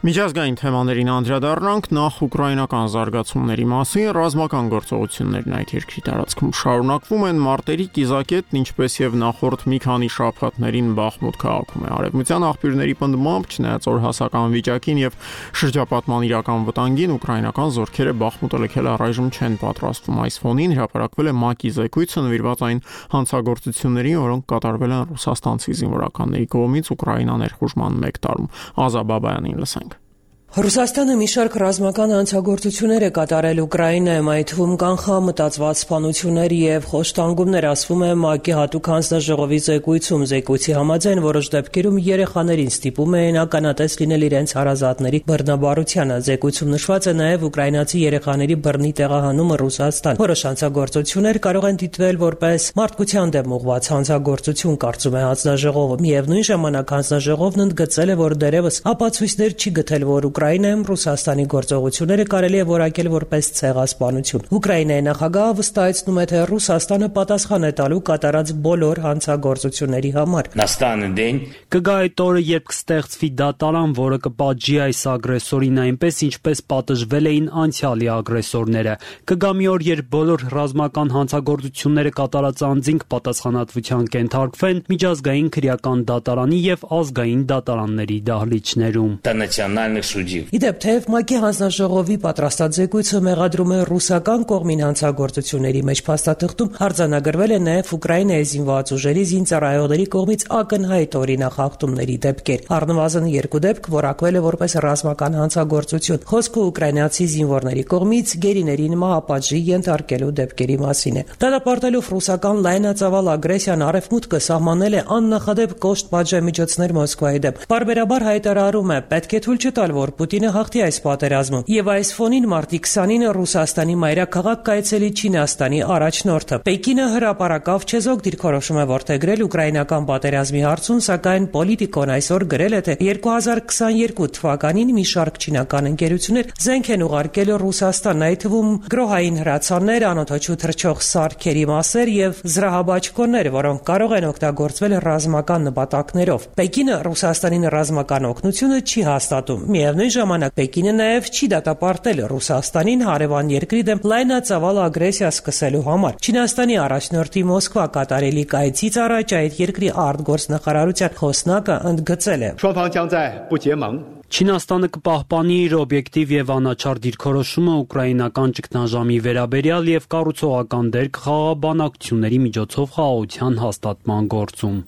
Միջազգային թեմաներին անդրադառնանք, նախ ուկրաինական զարգացումների մասին ռազմական գործողություններն այդ երկրի տարածքում շարունակվում են մարտերի կիզակետն, ինչպես եւ նախորդ մի քանի շաբաթներին Բախմուտ քաղաքում է։ Արևմտյան աղբյուրների պնդմամբ, չնայած օրհասական վիճակին եւ շրջապատման իրական վտանգին, ուկրաինական զորքերը Բախմուտը լքել առայժմ չեն պատրաստվում։ Այս ֆոնին հրապարակվել է ՄԱԿ-ի զեկույցը նվիրված այն հանցագործություններին, որոնք կատարվել են ռուսաստանցի զինվորականների կողմից Ուկրաինա ներխուժման 1 տարում։ Ազաբաբայանին լսենք։ Ռուսաստանը մի շարք ռազմական հանցագործություններ է կատարել Ուկրաինայում, այդ թվում կանխամտածված սպանություններ եւ խոշտանգումներ, ասվում է ՄԱԿ-ի հատուկ հանձնաժողովի զեկույցում։ Զեկույցի համաձայն որոշ դեպքերում երեխաներին ստիպում էին ականատես լինել իրենց հարազատների բռնաբարությանը։ Զեկույցում նշված է նաեւ ուկրաինացի երեխաների բռնի տեղահանումը Ռուսաստան։ Որոշ հանցագործություններ կարող են դիտվել որպես մարդկության դեմ ուղղված հանցագործություն, կարծում է հանձնաժողովը։ Միևնույն ժամանակ հանձնաժողովն ընդգծել է, որ դեռևս ապացույցներ չի գտել, որ Ուկրաինայում Ռուսաստանի գործողությունները կարելի է որակել որպես ցեղասպանություն։ Ուկրաինայի նախագահը վստահեցնում է, թե Ռուսաստանը պատասխան է տալու կատարած բոլոր հանցագործությունների համար։ Կգա այդ օրը, երբ կստեղծվի դատարան, որը կպատժի այս ագրեսորին այնպես, ինչպես պատժվել էին անցյալի ագրեսորները։ Կգա մի օր, երբ բոլոր ռազմական հանցագործությունները կատարած անձինք պատասխանատվության կենթարկվեն միջազգային քրեական դատարանի եւ ազգային դատարանների դահլիճներում։ Իդեպ թեև ՄԱԿ-ի հանձնաժողովի պատրաստած զեկույցը մեղադրում է ռուսական կողմին հանցագործությունների մեջ, փաստաթղթում արձանագրվել է նաև Ուկրաինայի զինված ուժերի զինծառայողների կողմից ակնհայտ օրինախախտումների դեպքեր։ Առնվազն 2 դեպք որակվել է որպես ռազմական հանցագործություն։ Խոսքը ուկրաինացի զինվորների կողմից գերիներին մահապատժի ենթարկելու դեպքերի մասին է։ Դատապարտելով ռուսական լայնածավալ ագրեսիան, Արևմուտքը սահմանել է աննախադեպ կոշտ պատժամիջոցներ Մոսկվայի դեմ։ Բարբերաբար հայտարարում է, պետք է թույլ չտալ, որ Պուտինը հաղթի այս պատերազմում։ Եվ այս ֆոնին մարտի 20-ին Ռուսաստանի մայրաքաղաք կայացելի Չինաստանի առաջնորդը։ Պեկինը հրապարակավ չեզոք դիրքորոշում է որդեգրել ուկրաինական պատերազմի հարցում, սակայն Պոլիտիկոն այսօր գրել է, թե 2022 թվականին մի շարք չինական ընկերություններ զենք են ուղարկել Ռուսաստան, այդ թվում գրոհային հրացաններ, անօդաչու թռչող սարքերի մասեր եւ զրահաբաճկոններ, որոնք կարող են օգտագործվել ռազմական նպատակներով։ Պեկինը Ռուսաստանին ռազմական օգնությունը չի հաստատում։ Միևնույն ժամանակ Պեկինը նաև չի դատապարտել Ռուսաստանին հարևան երկրի դեմ լայնածավալ ագրեսիա սկսելու համար։ Չինաստանի առաջնորդի Մոսկվա կատարելի կայցից առաջ այդ երկրի արտգործնախարարության խոսնակը ընդգծել է. Չինաստանը կպահպանի իր օբյեկտիվ եւ անաչառ դիրքորոշումը ուկրաինական ճգնաժամի վերաբերյալ եւ կառուցողական դեր կխաղաբանակցությունների միջոցով խաղաղության հաստատման գործում։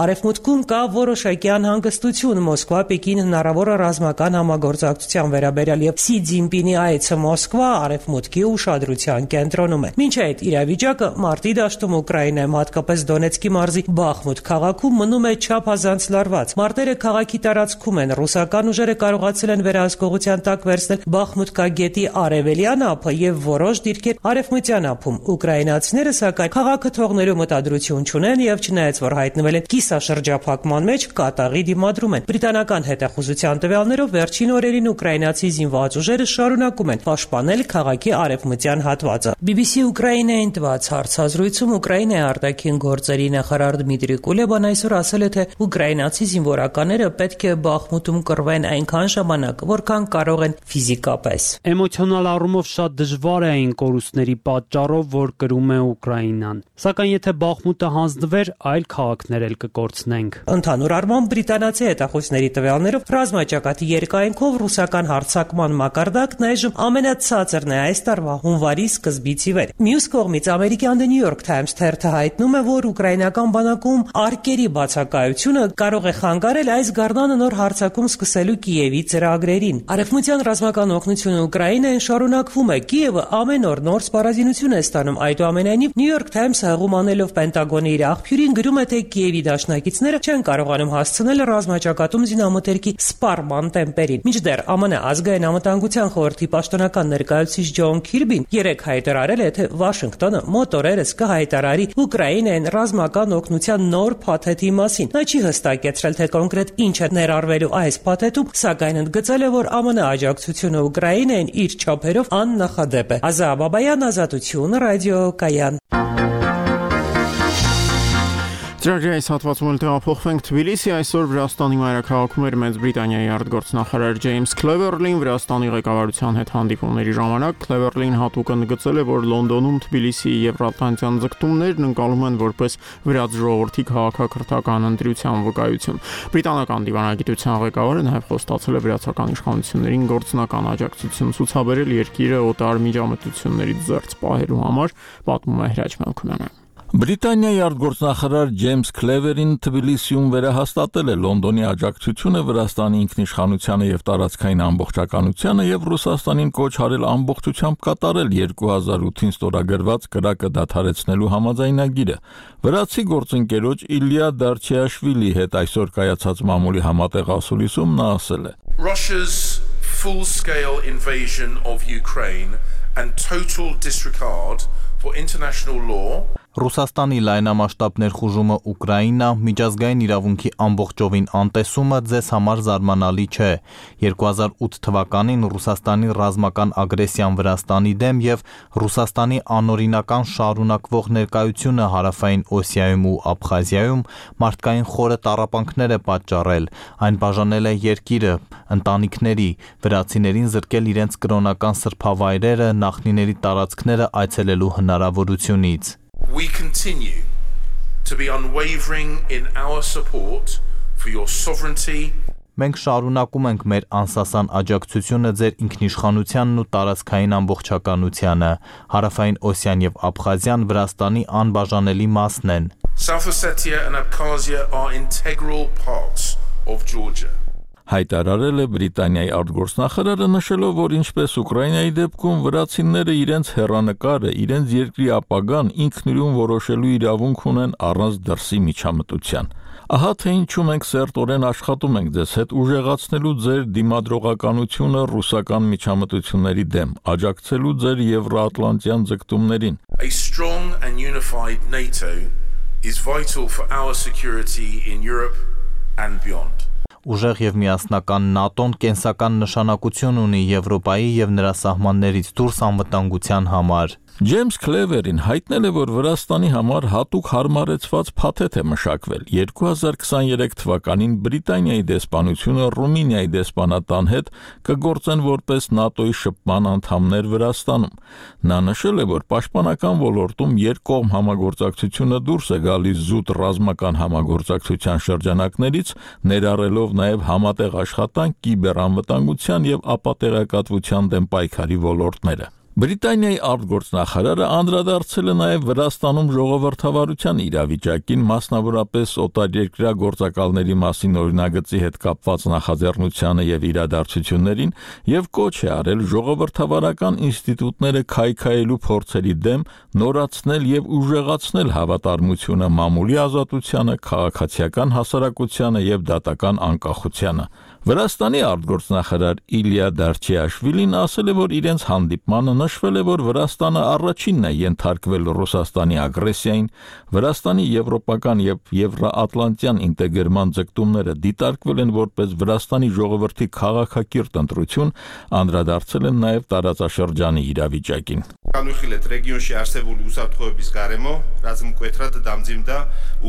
Արևմուտքում կա որոշակի անհանգստություն Մոսկվա-Պեկին հնարավոր ռազմական համագործակցության վերաբերյալ եւ Սի Ցզինպինի այցը Մոսկվա Արևմուտքի ուշադրության կենտրոնում է։ Մինչ այդ իրավիճակը մարտի դաշտում Ուկրաինայում, հատկապես Դոնեցկի մարզի Բախմուտ քաղաքում մնում է չափազանց լարված։ Մարտերը քաղաքի տարածքում են, ռուսական ուժերը կարողացել են վերահսկողության տակ վերցնել Բախմուտկա գետի արևելյան ափը եւ որոշ դիրքեր արևմտյան ափում։ Ուկրաինացիները սակայն քաղաքը թողնելու մտադրություն չունեն եւ չնայած որ հայտնվել են կիսաշրջափակման մեջ, կատաղի դիմադրում են։ Բրիտանական հետախուզության տվյալներով վերջին օրերին ուկրաինացի զինված ուժերը շարունակում են պաշտպանել քաղաքի արևմտյան հատվածը։ BBC Ուկրաինային տված հարցազրույցում Ուկրաինայի արտաքին գործերի նախարար Դմիտրի Կուլեբան այսօր ասել է, թե ուկրաինացի զինվորականները պետք է Բախմուտում կռվեն այնքան ժամանակ, որքան կարող են ֆիզիկապես։ Էմոցիոնալ առումով շատ դժվար է այն կորուստների պատճառով, որ կրում է Ուկրաինան։ Սակայն եթե Բախմուտը հանձնվեր, այլ քաղաքներ էլ կկորցնենք։ Ընդհանուր առմամբ բրիտանացի հետախուզների տվյալներով ռազմաճակատի երկայնքով ռուսական հարձակման մակարդակն այժմ ամենացածրն է այս տարվա հունվարի սկզբից ի վեր։ Մյուս կողմից ամերիկյան The New York Times թերթը հայտնում է, որ ուկրաինական բանակում արկերի բացակայությունը կարող է խանգարել այս գարնանը նոր հարձակում սկսելու Կիևի ծրագրերին։ Արևմտյան ռազմական օգնությունը Ուկրաինային շարունակվում է։ Կիևը ամեն օր նոր սպառազինություն է ստանում։ Այդուամենայնիվ New York Times-ը հղում անելով Պենտագոնի իր աղբյուրին գրում է, թե Կիևի դաշնակիցները չեն կարողանում հասցնել ռազմաճակատում զինամթերքի սպառման տեմպերին։ Մինչդեռ ԱՄՆ ազգային անվտանգության խորհրդի պաշտոնական ներկայացուցիչ Ջոն Քիրբին երեկ հայտարարել է, թե Վաշինգտոնը մոտ օրերս կհայտարարի Ուկրաինային ռազմական օգնության նոր փաթեթի մասին։ Նա չի հստակեցրել, թե կոնկրետ ինչ է ներառվելու այս փաթեթում, սակայն ընդգծել է, որ ԱՄՆ աջակցությունը Ուկրաինային իր չափերով աննախադեպ է։ Ազաբաբայան, Ազատություն, Ռադիո Կայան։ Ծրագրի այս հատվածում էլ տեղափոխվենք Թբիլիսի, այսօր Վրաստանի մայրաքաղաքում էր Մեծ Բրիտանիայի արտգործնախարար Ջեյմս Քլևերլին Վրաստանի ղեկավարության հետ հանդիպումների ժամանակ Քլևերլին հատուկ ընդգծել է, որ Լոնդոնում Թբիլիսիի եվրատլանտյան ձգտումներն ընկալում են որպես վրաց ժողովրդի քաղաքակրթական ընտրության վկայություն։ Բրիտանական դիվանագիտության ղեկավարը նաև խոստացել է վրացական իշխանություններին գործնական աջակցություն ցուցաբերել երկիրը օտար միջամտություններից զերծ պահելու համար, պատմում է Հրաչ Մելքոնյանը։ Բրիտանիայի արտգործնախարար Ջեյմս Քլևերին Թբիլիսիում վերահաստատել է Լոնդոնի աջակցությունը Վրաստանի ինքնիշխանությանը եւ տարածքային ամբողջականությանը եւ Ռուսաստանին կոչ արել ամբողջությամբ կատարել 2008-ին ստորագրված կրակը դադարեցնելու համաձայնագիրը։ Վրացի գործընկերոջ Իլյա Դարչեաշվիլի հետ այսօր կայացած մամուլի համատեղ ասուլիսում նա ասել է. Russia's full-scale invasion of Ukraine and total disregard for international law Ռուսաստանի լայնամասշտաբ ներխուժումը Ուկրաինա, միջազգային իրավունքի ամբողջովին անտեսումը ձեզ համար զարմանալի չէ։ 2008 թվականին Ռուսաստանի ռազմական ագրեսիան Վրաստանի դեմ եւ Ռուսաստանի անօրինական շարունակվող ներկայությունը Հարավային Օսիայում ու Աբխազիայում մարդկային խորը տառապանքներ է պատճառել։ Այն բաժանել է երկիրը, ընտանիքների, վրացիներին զրկել իրենց կրոնական սրբավայրերը, նախնիների տարածքները այցելելու հնարավորությունից։ We continue to be unwavering in our support for your sovereignty. Մենք շարունակում ենք մեր անսասան աջակցությունը ձեր ինքնիշխանությանն ու տարածքային ամբողջականությանը։ Հարավային Օսիան եւ Աբխազիան Վրաստանի անբաժանելի մասն են։ South Ossetia and Abkhazia are integral parts of Georgia. Հայտարարել է Բրիտանիայի արտգործնախարարը, նշելով, որ ինչպես Ուկրաինայի դեպքում վրացիները իրենց հեռանկարը, իրենց երկրի ապագան ինքնուրույն որոշելու իրավունք ունեն առանց դրսի միջամտության։ Ահա թե ինչու մենք սերտորեն աշխատում ենք ձեզ հետ ուժեղացնելու ձեր դիմադրողականությունը ռուսական միջամտությունների դեմ, աջակցելու ձեր եվրատլանտյան ձգտումներին։ A strong and unified NATO is vital for our security in Europe and beyond. Ուժեղ եւ միասնական ՆԱՏՕ-ն կենսական նշանակություն ունի Եվրոպայի եւ նրա սահմաններից դուրս անվտանգության համար։ Ջեյմս Քլևերին հայտնել է, որ Վրաստանի համար հատուկ հարմարեցված փաթեթ է մշակվել։ 2023 թվականին Բրիտանիայի դեսպանությունը Ռումինիայի դեսպանատան հետ կգործեն որպես ՆԱՏՕ-ի շփման անդամներ Վրաստանում։ Նա նշել է, որ պաշտպանական ոլորտում երկկողմ համագործակցությունը դուրս է գալիս զուտ ռազմական համագործակցության շրջանակներից, ներառելով նաև համատեղ աշխատանք կիբերանվտանգության եւ ապատեղեկատվության դեմ պայքարի ոլորտները։ Բրիտանիայի արտգործնախարարը անդրադարձել է նաև Վրաստանում ժողովրդավարության իրավիճակին, մասնավորապես օտարերկրյա գործակալների մասին օրինագծի հետ կապված նախաձեռնությանը եւ իրադարձություններին եւ կոչ է արել ժողովրդավարական ինստիտուտները քայքայելու փորձերի դեմ նորացնել եւ ուժեղացնել հավատարմությունը մամուլի ազատությանը, քաղաքացիական հասարակությանը եւ դատական անկախությանը։ Վրաստանի արտգործնախարար Իլյա Դարչեաշվիլին ասել է, որ իրենց հանդիպմանը նշվել է, որ Վրաստանը առաջինն է ենթարկվել Ռուսաստանի ագրեսիային, Վրաստանի եվրոպական եւ եվրաատլանտյան ինտեգրման ձգտումները դիտարկվել են որպես Վրաստանի ժողովրդի քաղաքակիրթ ընտրություն, անդրադարձել են նաեւ տարածաշրջանի իրավիճակին։ Կանուխիլետ ռեգիոնში არსებული ուսაფრთხოების გარემო, რაც მკვეთრად დამძიმდა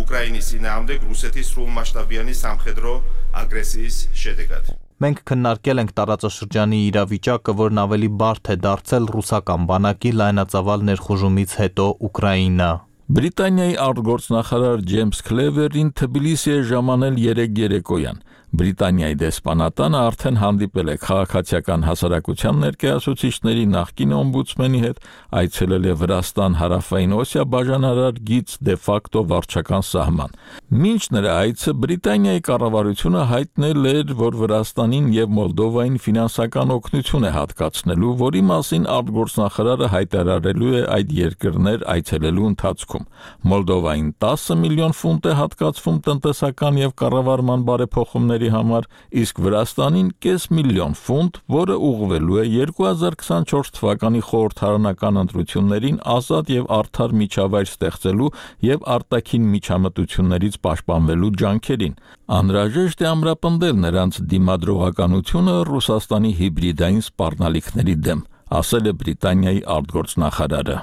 უკრაინის წინააღმდეგ რუსეთის სრულმასშტაბიანი სამხედრო ագրესიის შედეგად։ Մենք քննարկել ենք տարածաշրջանի իրավիճակը, որն ավելի բարդ է դարձել ռուսական բանակի լայնածավալ ներխուժումից հետո Ուկրաինա։ Բրիտանիայի արտգործնախարար Ջեյմս Քլևերին Թբիլիսի է ժամանել 3 երեկոյան։ Բրիտանիայի դեսպանատանը արդեն հանդիպել է քաղաքացիական հասարակության ներկայացուցիչների նախկին օմբուդսմենի հետ, այցելել է Վրաստան Հարավային Օսիա բաժանարար գիծ դե ֆակտո վարչական սահման։ Մինչ նրա այցը Բրիտանիայի կառավարությունը հայտնել էր, որ Վրաստանին եւ Մոլդովային ֆինանսական օգնություն է հատկացնելու, որի մասին արտգործնախարարը հայտարարելու է այդ երկրներ այցելելու ընթացքում։ Մոլդովային 10 միլիոն ֆունտ է հատկացվում տնտեսական եւ կառավարման բարեփոխումների համար, իսկ Վրաստանին կես միլիոն ֆունտ, որը ուղղվելու է 2024 թվականի խորհրդարանական ընտրություններին ազատ եւ արդար միջավայր ստեղծելու եւ արտաքին միջամտություններից պաշտպանվելու ջանքերին։ Անհրաժեշտ է ամրապնդել նրանց դիմադրողականությունը Ռուսաստանի հիբրիդային սպառնալիքների դեմ, ասել է Բրիտանիայի արտգործնախարարը։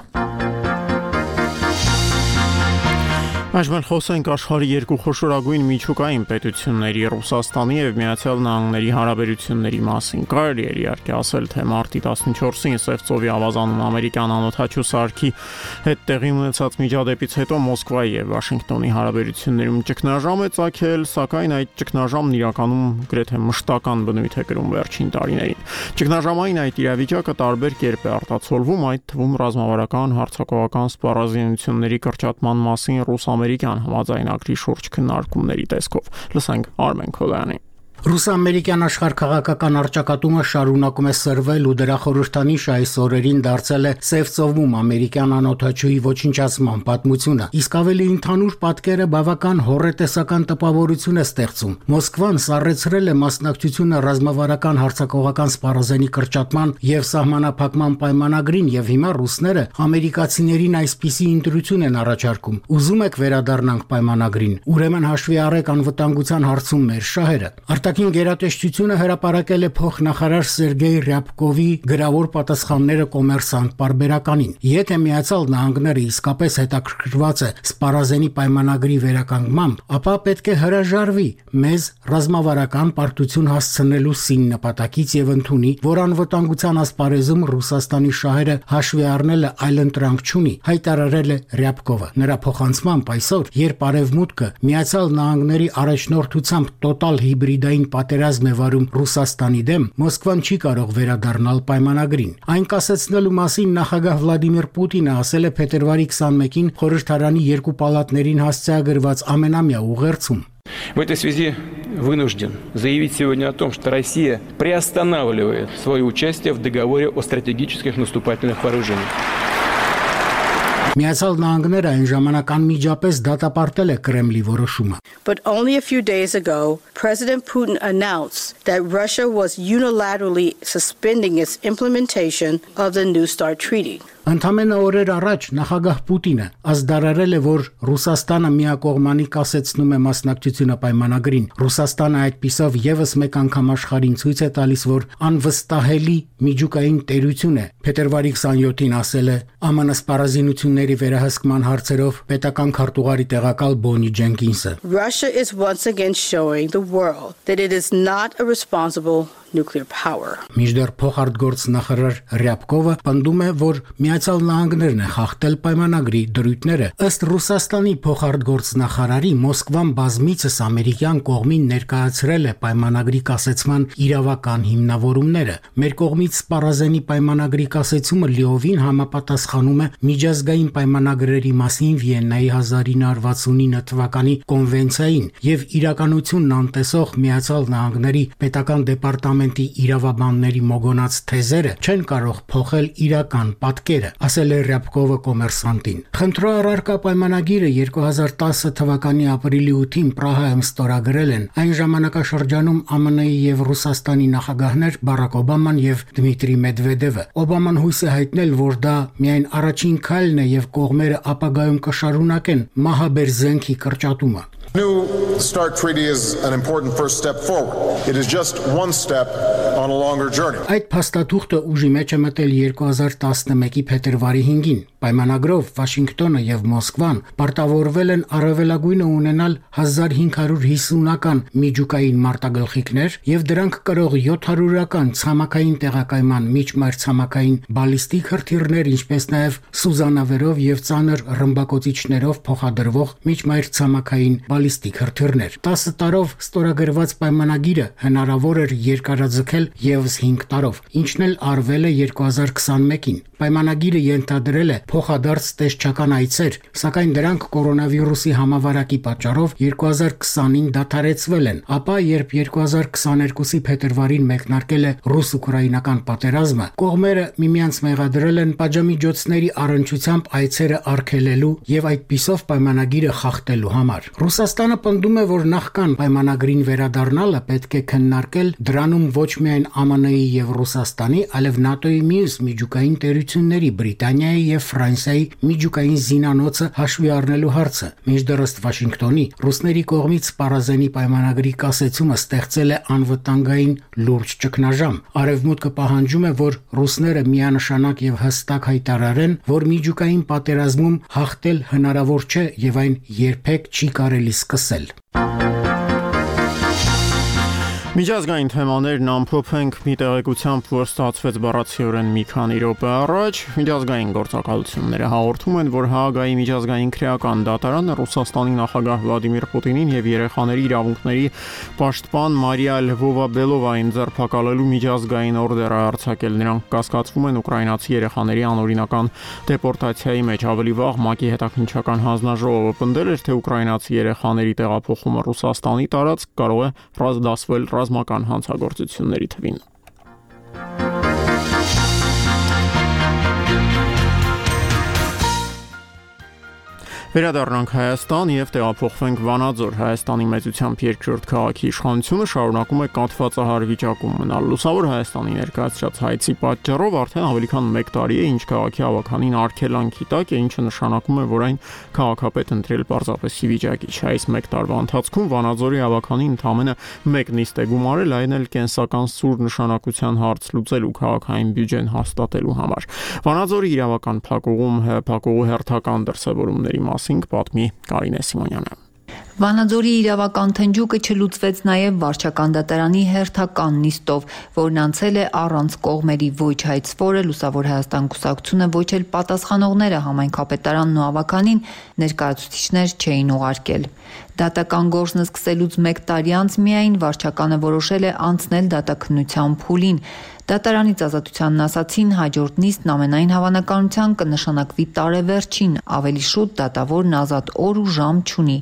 Այժմ խոսենք աշխարհի երկու խոշորագույն միջուկային պետությունների Ռուսաստանի եւ Միացյալ Նահանգների հարաբերությունների մասին։ Կարելի է իհարկե ասել, թե մարտի 14-ին Սևծովի ավազանում ամերիկյան անօթաչու սարքի հետ տեղի ունեցած միջադեպից հետո Մոսկվայի եւ Վաշինգտոնի հարաբերություններում ճգնաժամ է ծագել, սակայն այդ ճգնաժամն իրականում գրեթե մշտական բնույթ է կրում վերջին տարիներին։ Ճգնաժամային այդ իրավիճակը տարբեր կերպ է արտացոլվում, այդ թվում ռազմավարական, հարձակողական սպառազինությունների կրճատման մասին ռուս-ամերիկյան համաձայնագրի շուրջ քննարկումների տեսքով։ Լսենք Արմեն Քոլյանի։ Ռուս-ամերիկյան աշխարհաքաղաքական առճակատումը շարունակում է սրվել ու դրա խորհրդանիշը այս օրերին դարձել է Սևծովում ամերիկյան անօթաչուի ոչնչացման պատմությունը։ Իսկ ավելի ընդհանուր պատկերը բավական հոռետեսական տպավորություն է ստեղծում։ Մոսկվան սառեցրել է մասնակցությունը ռազմավարական հարձակողական սպառազենի կրճատման եւ սահմանափակման պայմանագրին եւ հիմա ռուսները ամերիկացիներին այսպիսի ընտրություն են առաջարկում։ Ուզում եք վերադառնանք պայմանագրին։ Ուրեմն հաշվի առեք անվտանգության հարցում մեր շահերը։ Արտաքին գերատեսչությունը հրապարակել է փոխնախարար Սերգեյ Ռյաբկովի գրավոր պատասխանները կոմերսանտ պարբերականին։ Եթե Միացյալ Նահանգները իսկապես հետաքրքրված է սպառազենի պայմանագրի վերականգնմամբ, ապա պետք է հրաժարվի մեզ ռազմավարական պարտություն հասցնելու սին նպատակից եւ ընդունի, որ անվտանգության ասպարեզում Ռուսաստանի շահերը հաշվի առնելը այլընտրանք չունի, հայտարարել է Ռյաբկովը։ Նրա փոխանցմամբ այսօր, երբ Արևմուտքը Միացյալ Նահանգների առաջնորդությամբ տոտալ հիբրիդային պատերազմ է վարում Ռուսաստանի դեմ, Մոսկվան չի կարող վերադառնալ պայմանագրին։ Այն կասեցնելու մասին նախագահ Վլադիմիր Պուտինը ասել է փետրվարի 21-ին խորհրդարանի երկու պալատներին հասցեագրված ամենամյա ուղերձում։ В этой связи вынужден заявить сегодня о том, что Россия приостанавливает свое участие в договоре о стратегических наступательных вооружениях. Միացյալ Նահանգները այն ժամանակ անմիջապես դատապարտել է Կրեմլի որոշումը։ But only a few days ago, President Putin announced that Russia was unilaterally suspending its implementation of the New START treaty. Ընդամենը օրեր առաջ նախագահ Պուտինը ազդարարել է, որ Ռուսաստանը միակողմանի կասեցնում է մասնակցությունը պայմանագրին։ Ռուսաստանը այդպիսով եւս մեկ անգամ աշխարհին ցույց է տալիս, որ անվստահելի միջուկային տերություն է։ Փետրվարի 27-ին ասել է ԱՄՆ սպառազինությունների վերահսկման հարցերով պետական քարտուղարի տեղակալ Բոնի Ջենքինսը։ Russia is once again showing the world that it is not a responsible nuclear power. Միջդեռ փոխարտգործ նախարար Ռյաբկովը պնդում է, որ Միացյալ Նահանգներն է խախտել պայմանագրի դրույթները։ Ըստ Ռուսաստանի փոխարտգործ նախարարի, Մոսկվան բազմիցս ամերիկյան կողմին ներկայացրել է պայմանագրի կասեցման իրավական հիմնավորումները։ Մեր կողմից սպառազենի պայմանագրի կասեցումը լիովին համապատասխանում է միջազգային պայմանագրերի մասին Վիեննայի 1969 թվականի կոնվենցիային եւ իրականությունն անտեսող Միացյալ Նահանգների պետական դեպարտամենտի իրավաբանների մոգոնած թեզերը չեն կարող փոխել իրական պատկերը, ասել է Ռյաբկովը կոմերսանտին։ Խնդրո առարկա պայմանագիրը 2010 թվականի ապրիլի 8-ին Պրահայում ստորագրել են այն ժամանակաշրջանում ԱՄՆ-ի եւ Ռուսաստանի նախագահներ Բարակ Օբաման եւ Դմիտրի Մեդվեդևը։ Օբաման հույս է հայտնել, որ դա միայն առաջին քայլն է եւ կողմերը ապագայում կշարունակեն մահաբեր զենքի կրճատումը։ New START treaty is an important first step forward. It is just one step on a longer journey. Այդ փաստաթուղթը ուժի մեջ է մտել 2011-ի փետրվարի 5-ին։ Պայմանագրով Վաշինգտոնը եւ Մոսկվան պարտավորվել են առավելագույնը ունենալ 1550-ական միջուկային մարտագլխիկներ եւ դրանք կրող 700-ական ցամաքային տեղակայման միջմայրցամաքային բալիստիկ հրթիռներ, ինչպես նաեւ սուզանավերով եւ ծանր ռմբակոծիչներով փոխադրվող միջմայրցամաքային բալիստիկ հրթիռներ։ 10 տարով ստորագրված պայմանագիրը հնարավոր էր երկարաձգել եւս 5 տարով, ինչն էլ արվել է 2021-ին։ Պայմանագիրը ենթադրել է փոխադարձ տեսչական այցեր, սակայն դրանք կորոնավիրուսի համավարակի պատճառով 2020-ին դադարեցվել են, ապա երբ 2022-ի փետրվարին մեկնարկել է ռուս-ուկրաինական պատերազմը, կողմերը միմյանց մեղադրել են պատժամիջոցների առնչությամբ այցերը արգելելու եւ այդպիսով պայմանագիրը խախտելու համար։ Ռուսաստանը պնդում է, որ նախքան պայմանագրին վերադառնալը պետք է քննարկել դրանում ոչ միայն ԱՄՆ-ի եւ Ռուսաստանի, այլև ՆԱՏՕ-ի մյուս միջուկային տերությունների Միությունների, Բրիտանիայի եւ Ֆրանսիայի միջուկային զինանոցը հաշվի առնելու հարցը։ Մինչդեռ ըստ Վաշինգտոնի ռուսների կողմից Պարազենի պայմանագրի կասեցումը ստեղծել է անվտանգային լուրջ ճգնաժամ։ Արևմուտքը պահանջում է, որ ռուսները միանշանակ եւ հստակ հայտարարեն, որ միջուկային պատերազմում հաղթել հնարավոր չէ եւ այն երբեք չի կարելի սկսել։ Միջազգային թեմաներն ամփոփենք մի տեղեկությամբ, որ ստացվեց բառացիորեն մի քանի րոպե առաջ։ Միջազգային գործակալությունները հաղորդում են, որ Հաագայի միջազգային քրեական դատարանը Ռուսաստանի նախագահ Վլադիմիր Պուտինին եւ երեխաների իրավունքների պաշտպան Մարիա Լվովա-Բելովային ձերբակալելու միջազգային օրդեր է արձակել։ Նրանք կասկածվում են ուկրաինացի երեխաների անօրինական դեպորտացիայի մեջ։ Ավելի վաղ ՄԱԿ-ի հետաքննչական հանձնաժողովը պնդել էր, թե ուկրաինացի երեխաների տեղափոխումը Ռուսաստանի տարածք կարող է դասվել ռազմական հանցագործությունների թվին։ Վերադառնանք Հայաստան եւ տեղափոխվենք Վանաձոր։ Հայաստանի մեծությամբ երկրորդ քաղաքի իշխանությունը շարունակում է կաթվածահար վիճակում մնալ։ Լուսավոր Հայաստանի ներկայացրած հայցի պատճառով արդեն ավելի քան 1 տարի է, ինչ քաղաքի ավականին արգելանքի տակ է, ինչը նշանակում է, որ այն քաղաքապետ ընտրել պարզապես ի վիճակի չէ։ Այս 1 տարվա ընթացքում Վանաձորի ավականին ընդամենը 1 նիստ է գումարել, այն էլ կենսական սուր նշանակության հարց լուծելու քաղաքային բյուջեն հաստատելու համար։ Վանաձորի իրավական փակուղու հերթական դրսևորումների պատմի Կարինե Սիմոնյանը։ Վանաձորի իրավական թնջուկը չլուծվեց նաև վարչական դատարանի հերթական նիստով, որն անցել է առանց կողմերի, ոչ հայցվորը, Լուսավոր Հայաստան կուսակցությունը, ոչ էլ պատասխանողները համայնքապետարանն ու ավականին ներկայացուցիչներ չէին ուղարկել։ Դատական գործն սկսելուց 1 տարի անց միայն վարչականը որոշել է անցնել դատաքննության փուլին։ Դատարանից ազատությանն ասացին, հաջորդ նիստն ամենայն հավանականության կնշանակվի տարեվերջին, ավելի շուտ դատավորն ազատ օր ու ժամ չունի։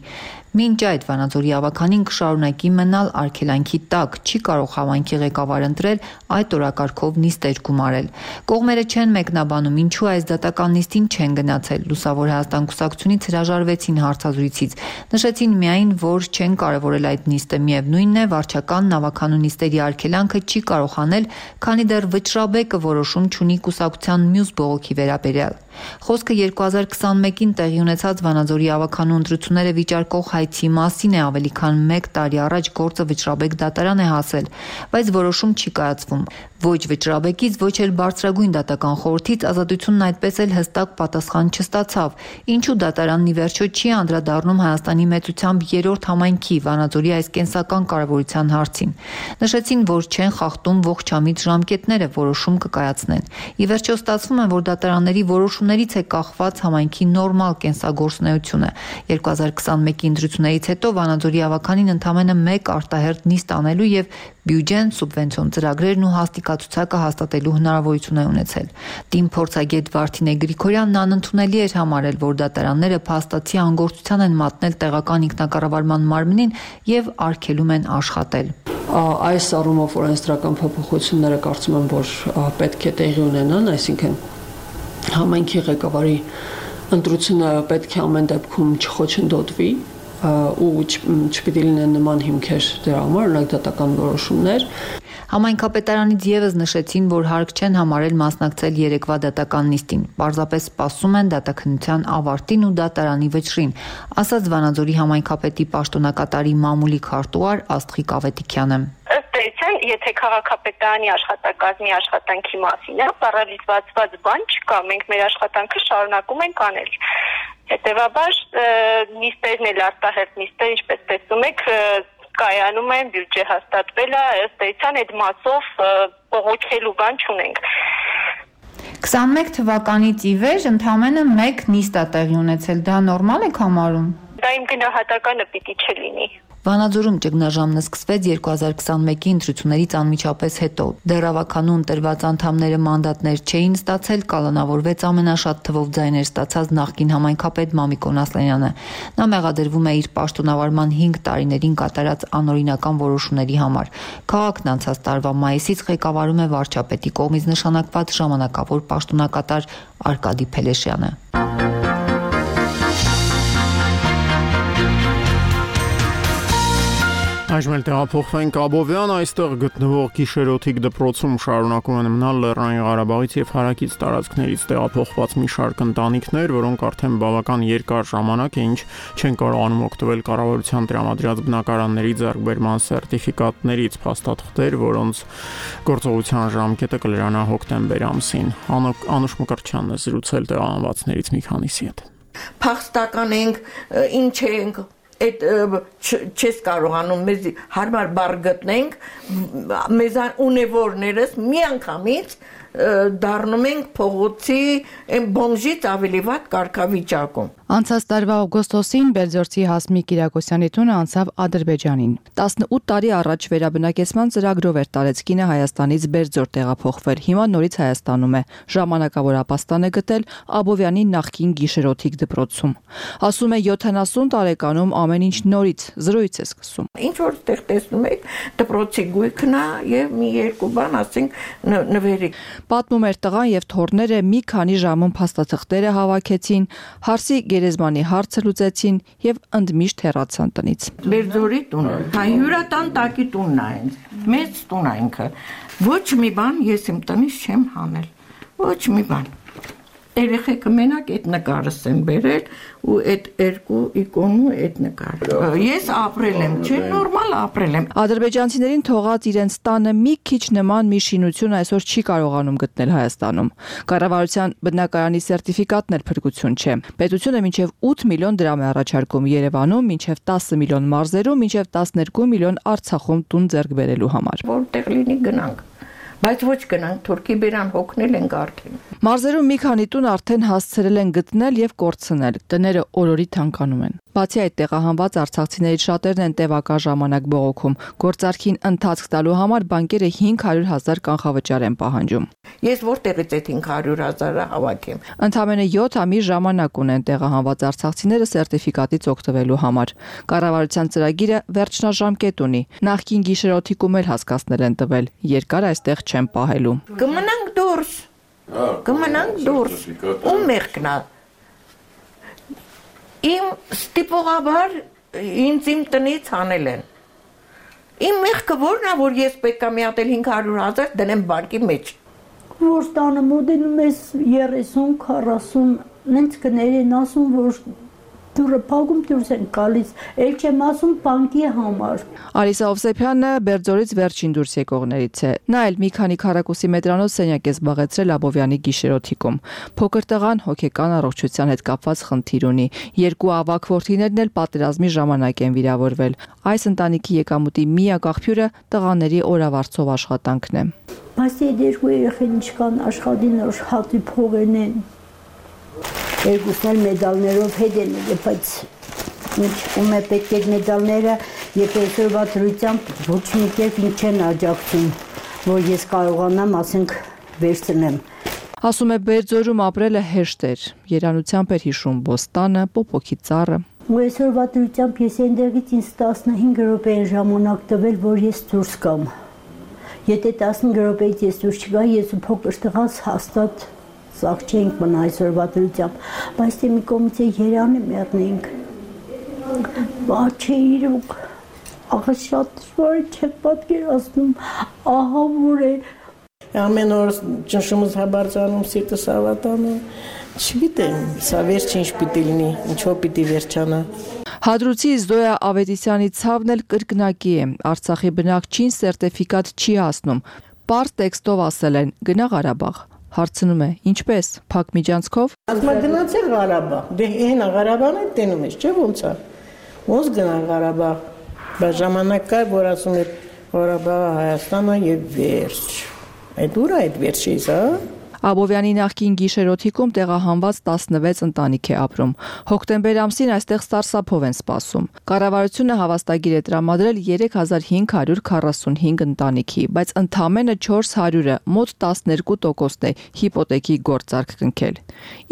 Մինչ այդ Վանաձորի ավականին կշարունակի մնալ արգելանքի տակ, չի կարող համայնքի ղեկավար ընտրել, այդ օրակարգով նիստեր գումարել։ Կողմերը չեն մեկնաբանում, ինչու այս դատական նիստին չեն գնացել։ Լուսավոր Հայաստան կուսակցությունից հրաժարվեցին հարցազրույցից։ Նշեցին միայն, որ չեն կարևորել այդ նիստը։ Միևնույնն է, վարչականն ավականու նիստերի արգելանքը չի կարող անել, քանի դեռ վճռաբեկը որոշում չունի կուսակցության մյուս բողոքի վերաբերյալ։ Խոսքը 2021-ին տեղի ունեցած Վանաձորի ավականու ընտրությունները վիճարկող հայցի մասին է, ավելի քան 1 տարի առաջ գործը վճռաբեկ դատարան է հասել, բայց որոշում չի կայացվում։ Ոչ վճռաբեկից, ոչ էլ բարձրագույն դատական խորհրդից ազատությունն այդպես էլ հստակ պատասխան չստացավ։ Ինչու դատարանն ի վերջո չի անդրադառնում Հայաստանի մեծությամբ 3-րդ համայնքի Վանաձորի այս կենսական կարևորության հարցին։ Նշեցին, որ չեն խախտում ողջամիտ ժամկետները, որոշում կկայացնեն։ Ի վերջո ստացվում է, որ դատարանների որոշումներից է կախված համայնքի նորմալ կենսագործունեությունը։ 2021-ի ընտրություններից հետո Վանաձորի ավականին ընդամենը 1 արտահերթ նիստ անելու եւ բյուջեն, սուբվենցիոն ծրագրերն ու հաստիկացուցակը հաստատելու հնարավորություն է ունեցել։ Տիմ փորձագետ Վարդինե Գրիգորյանն անընդունելի էր համարել, որ դատարանները փաստացի անգործության են մատնել տեղական ինքնակառավարման մարմնին եւ արգելում են աշխատել։ Այս առումով օրենսդրական փոփոխությունները կարծում եմ, որ պետք է տեղի ունենան, այսինքն համայնքի ղեկավարի ընտրությունը պետք է ամեն դեպքում չխոչընդոտվի ու չպիտի լինեն նման հիմքեր դրա համար, օրինակ դատական որոշումներ։ Համայնքապետարանից եւս նշեցին, որ հարկ չեն համարել մասնակցել երեկվա դատական նիստին, պարզապես սպասում են դատաքննության ավարտին ու դատարանի վճռին, ասաց Վանաձորի համայնքապետի պաշտոնակատարի մամուլի քարտուղար Աստղիկ Ավետիքյանը։ Ըստ էության, եթե քաղաքապետարանի աշխատակազմի աշխատանքի մասին է, պարալիզված բան չկա, մենք մեր աշխատանքը շարունակում ենք անել։ Հետևաբար նիստերն էլ արտահերթ նիստեր, ինչպես տեսնում եք, կայանում են, բյուջե հաստատվել է, ըստ էության այդ մասով բողոքելու բան չունենք։ 21 թվականից ի վեր ընդամենը 1 նիստ է տեղի ունեցել, դա նորմալ եք համարում։ Դա իմ գնահատականը պիտի չլինի։ Վանաձորում ճգնաժամն սկսվեց 2021-ի ընտրություններից անմիջապես հետո։ Դեռ ավականու ընտրված անդամները մանդատներ չէին ստացել, կալանավորվեց ամենաշատ թվով ձայներ ստացած նախկին համայնքապետ Մամիկոն Ասլանյանը։ Նա մեղադրվում է իր պաշտոնավարման 5 տարիներին կատարած անօրինական որոշումների համար։ Քաղաքն անցած տարվա մայիսից ղեկավարում է վարչապետի կողմից նշանակված ժամանակավոր պաշտոնակատար Արկադի Փելեշյանը։ Այժմ էլ տեղափոխվենք Աբովյան, այստեղ գտնվող գիշերօթիկ դպրոցում շարունակում են մնալ Լեռնային Ղարաբաղից եւ հարակից տարածքներից տեղափոխված մի շարք ընտանիքներ, որոնք արդեն բավական երկար ժամանակ է ինչ չեն կարողանում օգտվել կառավարության տրամադրած բնակարանների ձեռքբերման սերտիֆիկատներից, փաստաթղթեր, որոնց գործողության ժամկետը կլրանա հոկտեմբեր ամսին։ Անուշ Մկրտչյանն է զրուցել տեղահանվածներից մի քանիսի հետ։ Փախստական ենք, ինչ ենք այդ չես կարողանում մեզ հարմար բառ գտնենք, մեզ ունևորներս միանգամից դառնում ենք փողոցի բոմժից ավելի վատ կարգավիճակում։ Անցած տարվա օգոստոսին Բերձորցի Հասմիկ Կիրակոսյանի տունը անցավ Ադրբեջանին։ 18 տարի առաջ վերաբնակեցման ծրագրով էր տարեցկինը Հայաստանից Բերձոր տեղափոխվել։ Հիմա նորից Հայաստանում է։ Ժամանակավոր ապաստան է գտել Աբովյանի նախկին գիշերօթիկ դպրոցում։ Ասում է 70 տարեկանում ամեն ինչ նորից, զրոյից է սկսում։ Ինչ որ տեղ տեսնում եք, դպրոցի գույքն է եւ մի երկու բան, ասենք, նվերի։ Պատմում էր տղան եւ թոռները մի քանի ժամում փաստաթղթերը հավաքեցին, հարսի գերեզմանի հարցը լուծեցին եւ ընդմիշտ հեռացան տնից։ Բերձորի տունը, հյուրատան տակի տունն է, մեծ տուն է ինքը։ Ոչ մի բան ես իմ տնից չեմ հանել։ Ոչ մի բան։ Երեխեքը մենակ այդ նկարս են բերել ու այդ երկու իկոնու այդ նկարը։ Ես ապրել եմ, չէ, նորմալ ապրել եմ։ Ադրբեջանցիներին թողած իրենց տանը մի քիչ նման մի շինություն այսօր չի կարողանում գտնել Հայաստանում։ Կառավարության բնակարանի սերտիֆիկատն էլ փրկություն չէ։ Պետությունը մինչև 8 միլիոն դրամ է առաջարկում Երևանում, մինչև 10 միլիոն մարզերում, մինչև 12 միլիոն Արցախում տուն ձեռք բերելու համար։ Որտեղ լինի գնանք։ Բայց ոչ գնանք, Թուրքի բերան հոգնել ենք արդեն։ Մարզերում մի քանի տուն արդեն հասցրել են գտնել եւ կորցնել։ Տները օրորի թանկանում են։ Բացի այդ, տեղահանված արցախցիներից շատերն են տևական ժամանակ բողոքում։ Գործարքին ընթացք տալու համար բանկերը 500,000 կանխավճար են պահանջում։ Ես որտեղից այդ 500,000-ը հավաքեմ։ Ընդամենը 7 ամիս ժամանակ ունեն տեղահանված արցախցիները սերտիֆիկատից օգտվելու համար։ Կառավարության ծրագիրը վերջնաժամկետ ունի։ Նախկին գիշերօթիկում էլ հասկացնել են տվել։ Երկար այստեղ չեն պահելու։ Կմնանք դուրս։ Կմնանք դուրս։ Ու մեղքնա։ Իմ ստիպողաբար ինձ իմ տնից հանել են։ Իմ մեղքը որն է, որ ես պետք է մի հատ 500,000 դնեմ բանկի մեջ։ Որ տանը մոդենում ես 30-40, նենց կներ են ասում, որ դուրը փակում դուրս են գալիս, էլ չեմ ասում բանկի համար։ Արիսա Օվսեփյանը Բերձորից վերջին դուրս եկողներից է։ Նա էլ մի քանի քառակուսի մետրանոց սենյակ է զբաղեցրել Աբովյանի գիշերօթիկում։ Փոքր տղան հոգեկան առողջության հետ կապված խնդիր ունի։ Երկու ավագ որդիներն էլ պատերազմի ժամանակ են վիրավորվել։ Այս ընտանիքի եկամուտի միակ աղբյուրը տղաների օրավարձով աշխատանքն է։ Բայց այդ երկու երեխեն ինչքան աշխատին որ հատի փողեն են։ Երկուսն մեդալներով հետ են, բայց ում է պետք է մեդալները, երբ այսօրվա դրությամբ ոչ մի կերպ ինձ չեն աջակցում, որ ես կարողանամ, ասենք, վերցնեմ։ Ասում է Բերձորում ապրելը հեշտ էր, երանությամբ էր հիշում բոստանը, պոպոքի ծառը։ Ու այսօրվա դրությամբ ես այնտեղից ինձ 15 րոպե են ժամանակ տվել, որ ես դուրս գամ։ Եթե 15 րոպեից ես դուրս չգա, ես ու փոքր տղաս հաստատ սաղ չենք մնա այսօրվա դրությամբ, բայց թե մի կողմից Երանը մեռնենք։ Բաչե իրոք, աղա շատ դժվար չեմ պատկերացնում, ահա որ է։ Ամեն օր ճնշումս հաբարձանում, սիրտս ավատանում, չգիտեմ, սա վերջին ինչ պիտի լինի, ինչով պիտի վերջանա։ Հադրուցի Զոյա Ավետիսյանի ցավն էլ կրկնակի է, Արցախի բնակչին սերտիֆիկատ չի հասնում, պարզ տեքստով ասել են գնա Ղարաբաղ։ Հարցնում է, ինչպես, փակ միջանցքով։ Ասма գնացել Ղարաբաղ, դե հենա Ղարաբաղն է տենում ես, չէ՞ ոնց է։ Ոնց գնա Ղարաբաղ։ Բայց ժամանակ կար, որ ասում էր Ղարաբաղը Հայաստանը եւ վերջ։ Այդ ուր է այդ վերջից, հա։ Աբովյանի նախկին գիշերօթիկում տեղահանված 16 ընտանիք է ապրում։ Հոկտեմբեր ամսին այստեղ սարսափով են սպասում։ Կառավարությունը հավաստագիր է տրամադրել 3545 ընտանիքի, բայց ընդամենը 400-ը, մոտ 12%-ն է հիպոթեքի գործարք կնքել։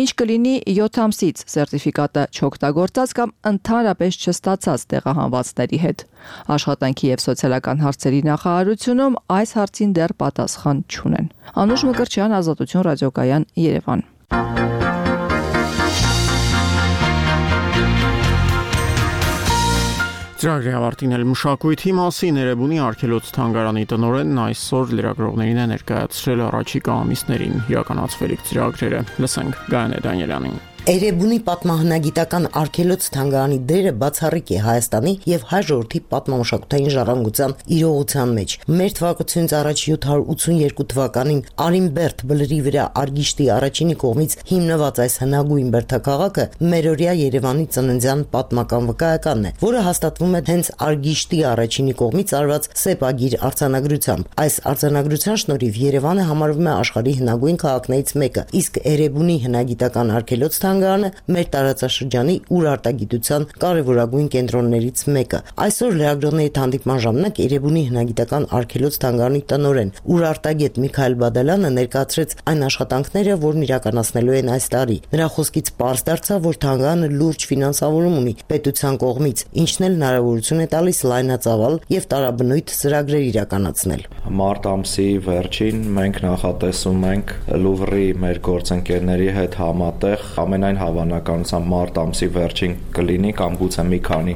Ինչ կլինի 7 ամսից սերտիֆիկատը չօգտագործած կամ ընդհանրապես չստացած տեղահանվածների հետ։ Աշխատանքի եւ սոցիալական հարցերի նախարարությունում այս հարցին դեռ պատասխան չունեն։ Անուշ Մկրտչյան, Ազատություն ռադիոկայան, Երևան։ Ծրագրի ավարտին էլ մշակույթի մասին Էրեբունի արգելոց թանգարանի տնօրենն այսօր լրագրողներին է ներկայացրել առաջիկա ամիսներին իրականացվելիք ծրագրերը։ Լսենք Գայանե Դանիելյանին։ Էրեբունի պատմահնագիտական արգելոց թանգարանի դերը բացառիկ է Հայաստանի եւ հայ ժողովրդի պատմամշակութային ժառանգության իրողության մեջ։ Մեր թվակությունից առաջ 782 թվականին Արինբերտ բլրի վրա Արգիշտի առաջինի կողմից հիմնված այս հնագույն բերդաքաղաքը մերօրյա Երևանի ծննդյան պատմական վկայականն է, որը հաստատվում է հենց Արգիշտի առաջինի կողմից արված սեպագիր արձանագրությամբ։ Այս արձանագրության շնորհիվ Երևանը համարվում է աշխարհի հնագույն քաղաքներից մեկը, իսկ Էրեբունի հնագիտական արգելոց թանգարանը մեր տարածաշրջանի ուրարտագիտության կարևորագույն կենտրոններից մեկը։ Այսօր լրագրողների հանդիպման ժամանակ Էրեբունի հնագիտական արգելոց թանգարանի տնօրեն ուրարտագետ Միքայել Բադալյանը ներկայացրեց այն աշխատանքները, որն իրականացնելու են այս տարի։ Նրա խոսքից պարզ դարձավ, որ թանգարանը լուրջ ֆինանսավորում ունի պետության կողմից, ինչն էլ հնարավորություն է տալիս լայնածավալ եւ տարաբնույթ ծրագրեր իրականացնել։ Մարտ ամսի վերջին մենք նախատեսում ենք Լուվրի մեր գործընկերների հետ համատեղ ամենայն հավանականությամբ մարտ ամսի վերջին կլինի կամ գուցե մի քանի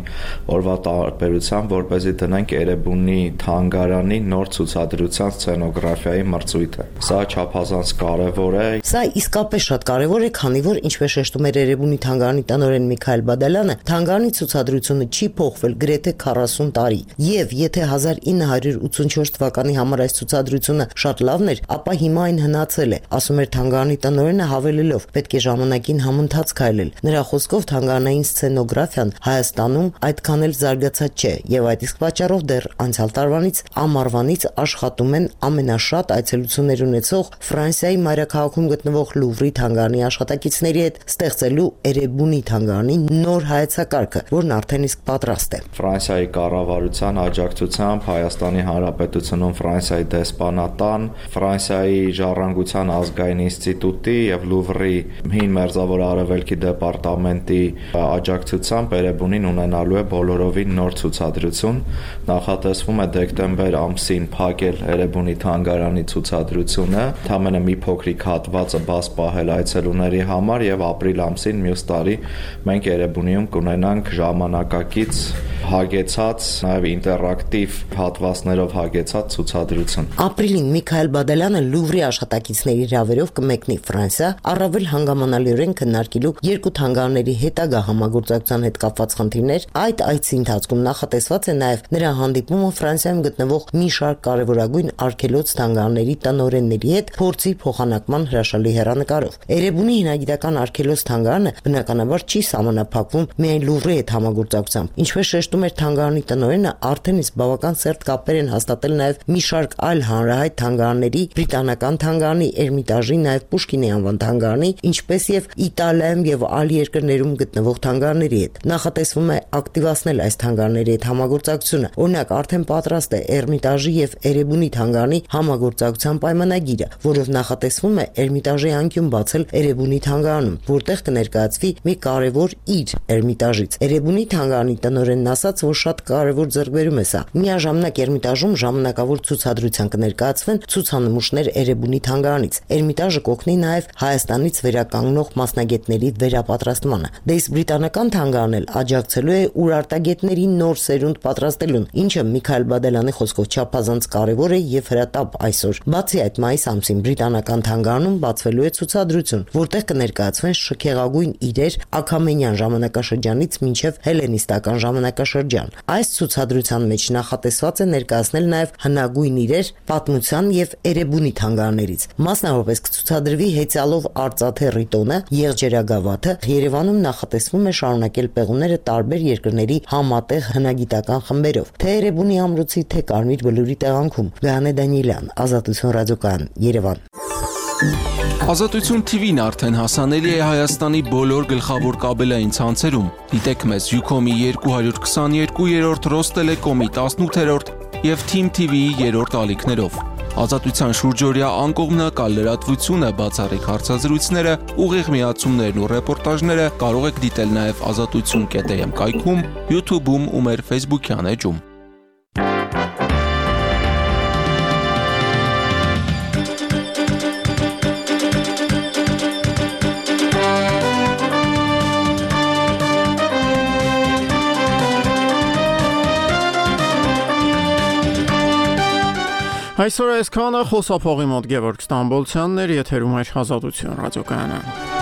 օրվա տարբերությամբ, որպեսզի դնենք Էրեբունի թանգարանի նոր ցուցադրության սցենոգրաֆիայի մրցույթը։ Սա չափազանց կարևոր է։ Սա իսկապես շատ կարևոր է, քանի որ ինչպես շեշտում էր Էրեբունի թանգարանի տնօրեն Միքայել Բադալյանը, թանգարանի ցուցադրությունը չի փոխվել գրեթե 40 տարի։ Եվ եթե 1984 թվականի համար այս ցուցադրությունը շատ լավն էր, ապա հիմա այն հնացել է, ասում էր թանգարանի տնօրենը, հավելելով. պետք է ժամանակին համընթաց քայլել։ Նրա խոսքով թանգարանային սցենոգրաֆիան Հայաստանում այդքան էլ զարգացած չէ, եւ այդ իսկ պատճառով դեռ անցյալ տարվանից ամառվանից աշխատում են ամենաշատ այցելություններ ունեցող Ֆրանսիայի մայրաքաղաքում գտնվող Լուվրի թանգարանի աշխատակիցների հետ ստեղծելու Էրեբունի թանգարանի նոր հայեցակարգը, որն արդեն իսկ պատրաստ է։ Ֆրանսիայի կառավարության աջակցությամբ Հայաստանի Հանրապետությունում Ֆրանսիայի դեսպանատան, Ֆրանսիայի ժառանգության ազգային ինստիտուտի եւ Լուվրի Հին Մերձավոր Արևելքի դեպարտամենտի աջակցությամբ Էրեբունին ունենալու է բոլորովին նոր ցուցադրություն։ Նախատեսվում է դեկտեմբեր ամսին փակել Էրեբունի թանգարանի ցուցադրությունը, ընդամենը մի փոքրիկ հատվածը բաց պահել այցելուների համար եւ ապրիլ ամսին մյուս տարի մենք Էրեբունիում կունենանք ժամանակակից հագեցած, նաեւ ինտերակտիվ հատվածներով հագեցած ցուցադրություն։ Ապրիլին Միքայել Բադալյանը Լուվրի աշխատակիցների հրավերով կմեկնի Ֆրանսիա, առավել հանգամանալիորեն քննարկելու երկու թանգարանների հետագա համագործակցության հետ կապված խնդիրներ։ Այդ այցի ընթացքում նախատեսված է նաև նրա հանդիպումը Ֆրանսիայում գտնվող մի շարք կարևորագույն արգելոց թանգարանների տնօրենների հետ փորձի փոխանակման հրաշալի հեռանկարով։ Էրեբունի հնագիտական արգելոց թանգարանը բնականաբար չի սահմանափակվում միայն Լուվրի հետ համագործակցությամբ։ Ինչպես շեշտում էր թանգարանի տնօրենը, արդեն իսկ բավական սերտ կապեր են հաստատել նաև մի շարք այլ հանրահայտ թանգարանների, բրիտանական թանգարանի, Էրմիտաժի, նաև Պուշկինի անվան թանգարանի, ինչպես եւ Իտալիայում եւ այլ երկրներում գտնվող թանգարանների հետ։ Նախատեսվում է ակտիվացնել այս թանգարանների հետ համագործակցությունը։ Օրինակ, արդեն պատրաստ է Էրմիտաժի եւ Էրեբունի թանգարանի համագործակցության պայմանագիրը, որով նախատեսվում է Էրմիտաժի անկյուն բացել Էրեբունի թանգարանում, որտեղ կներկայացվի մի կարևոր իր Էրմիտաժից։ Էրեբունի թանգարանի տնօրենն ասաց, որ շատ կարևոր ձեռքբերում է սա։ Միաժամանակ Էրմիտաժում ժամանակավոր ցուցադրության կներկայացվեն ցուցանմուշներ Էրեբունի թանգարանից։ Էրմիտաժը կօգնի նաև Հայաստանից վերականգնող մասնագետների վերապատրաստմանը։ Դե իսկ բրիտանական թանգարանն էլ աջակցելու է ուրարտագետների նոր սերունդ պատրաստելուն, ինչը Միքայել Բադալյանի խոսքով չափազանց կարևոր է եւ հրատապ այսօր։ Բացի այդ, մայիս ամսին բրիտանական թանգարանում բացվելու է ցուցադրություն, որտեղ կներկայացվեն շքեղագույն իրեր Աքամենյան ժամանակաշրջանից մինչև հելենիստական ժամանակաշրջան։ Այս ցուցադրության մեջ նախատեսված է ներկայացնել նաև հնագույն իրեր պատմության եւ Էրեբունի թանգարաններից։ Մասնավորապես կցուցադրվի հեծյալով արծաթե ռիտոնը, եղջերագավաթը։ Երևանում նախատեսվում է շարունակել պեղումները տարբեր երկրների համատեղ հնագիտական խմբերով, թե Էրեբունի ամրոցի, թե Կարմիր բլուրի տեղանքում։ Գայանե Դանիելյան, Ազատություն ռադիոկայան, Երևան։ Ազատություն TV-ն արդեն հասանելի է Հայաստանի բոլոր գլխավոր կաբելային ցանցերում։ Դիտեք մեզ Ucom-ի 222-րդ, Ռոստելեկոմի 18-րդ եւ Team TV-ի 3-րդ ալիքներով։ Ազատության շուրջօրյա անկողմնակալ լրատվությունը, բացառիկ հարցազրույցները, ուղիղ միացումներն ու ռեպորտաժները կարող եք դիտել նաև azatutsun.am կայքում, YouTube-ում ու մեր Facebook-յան էջում։ Այսօր այսքանը, խոսափողի մոտ Գևորգ Ստամբոլցյանն էր, եթերում Ազատություն ռադիոկայանը։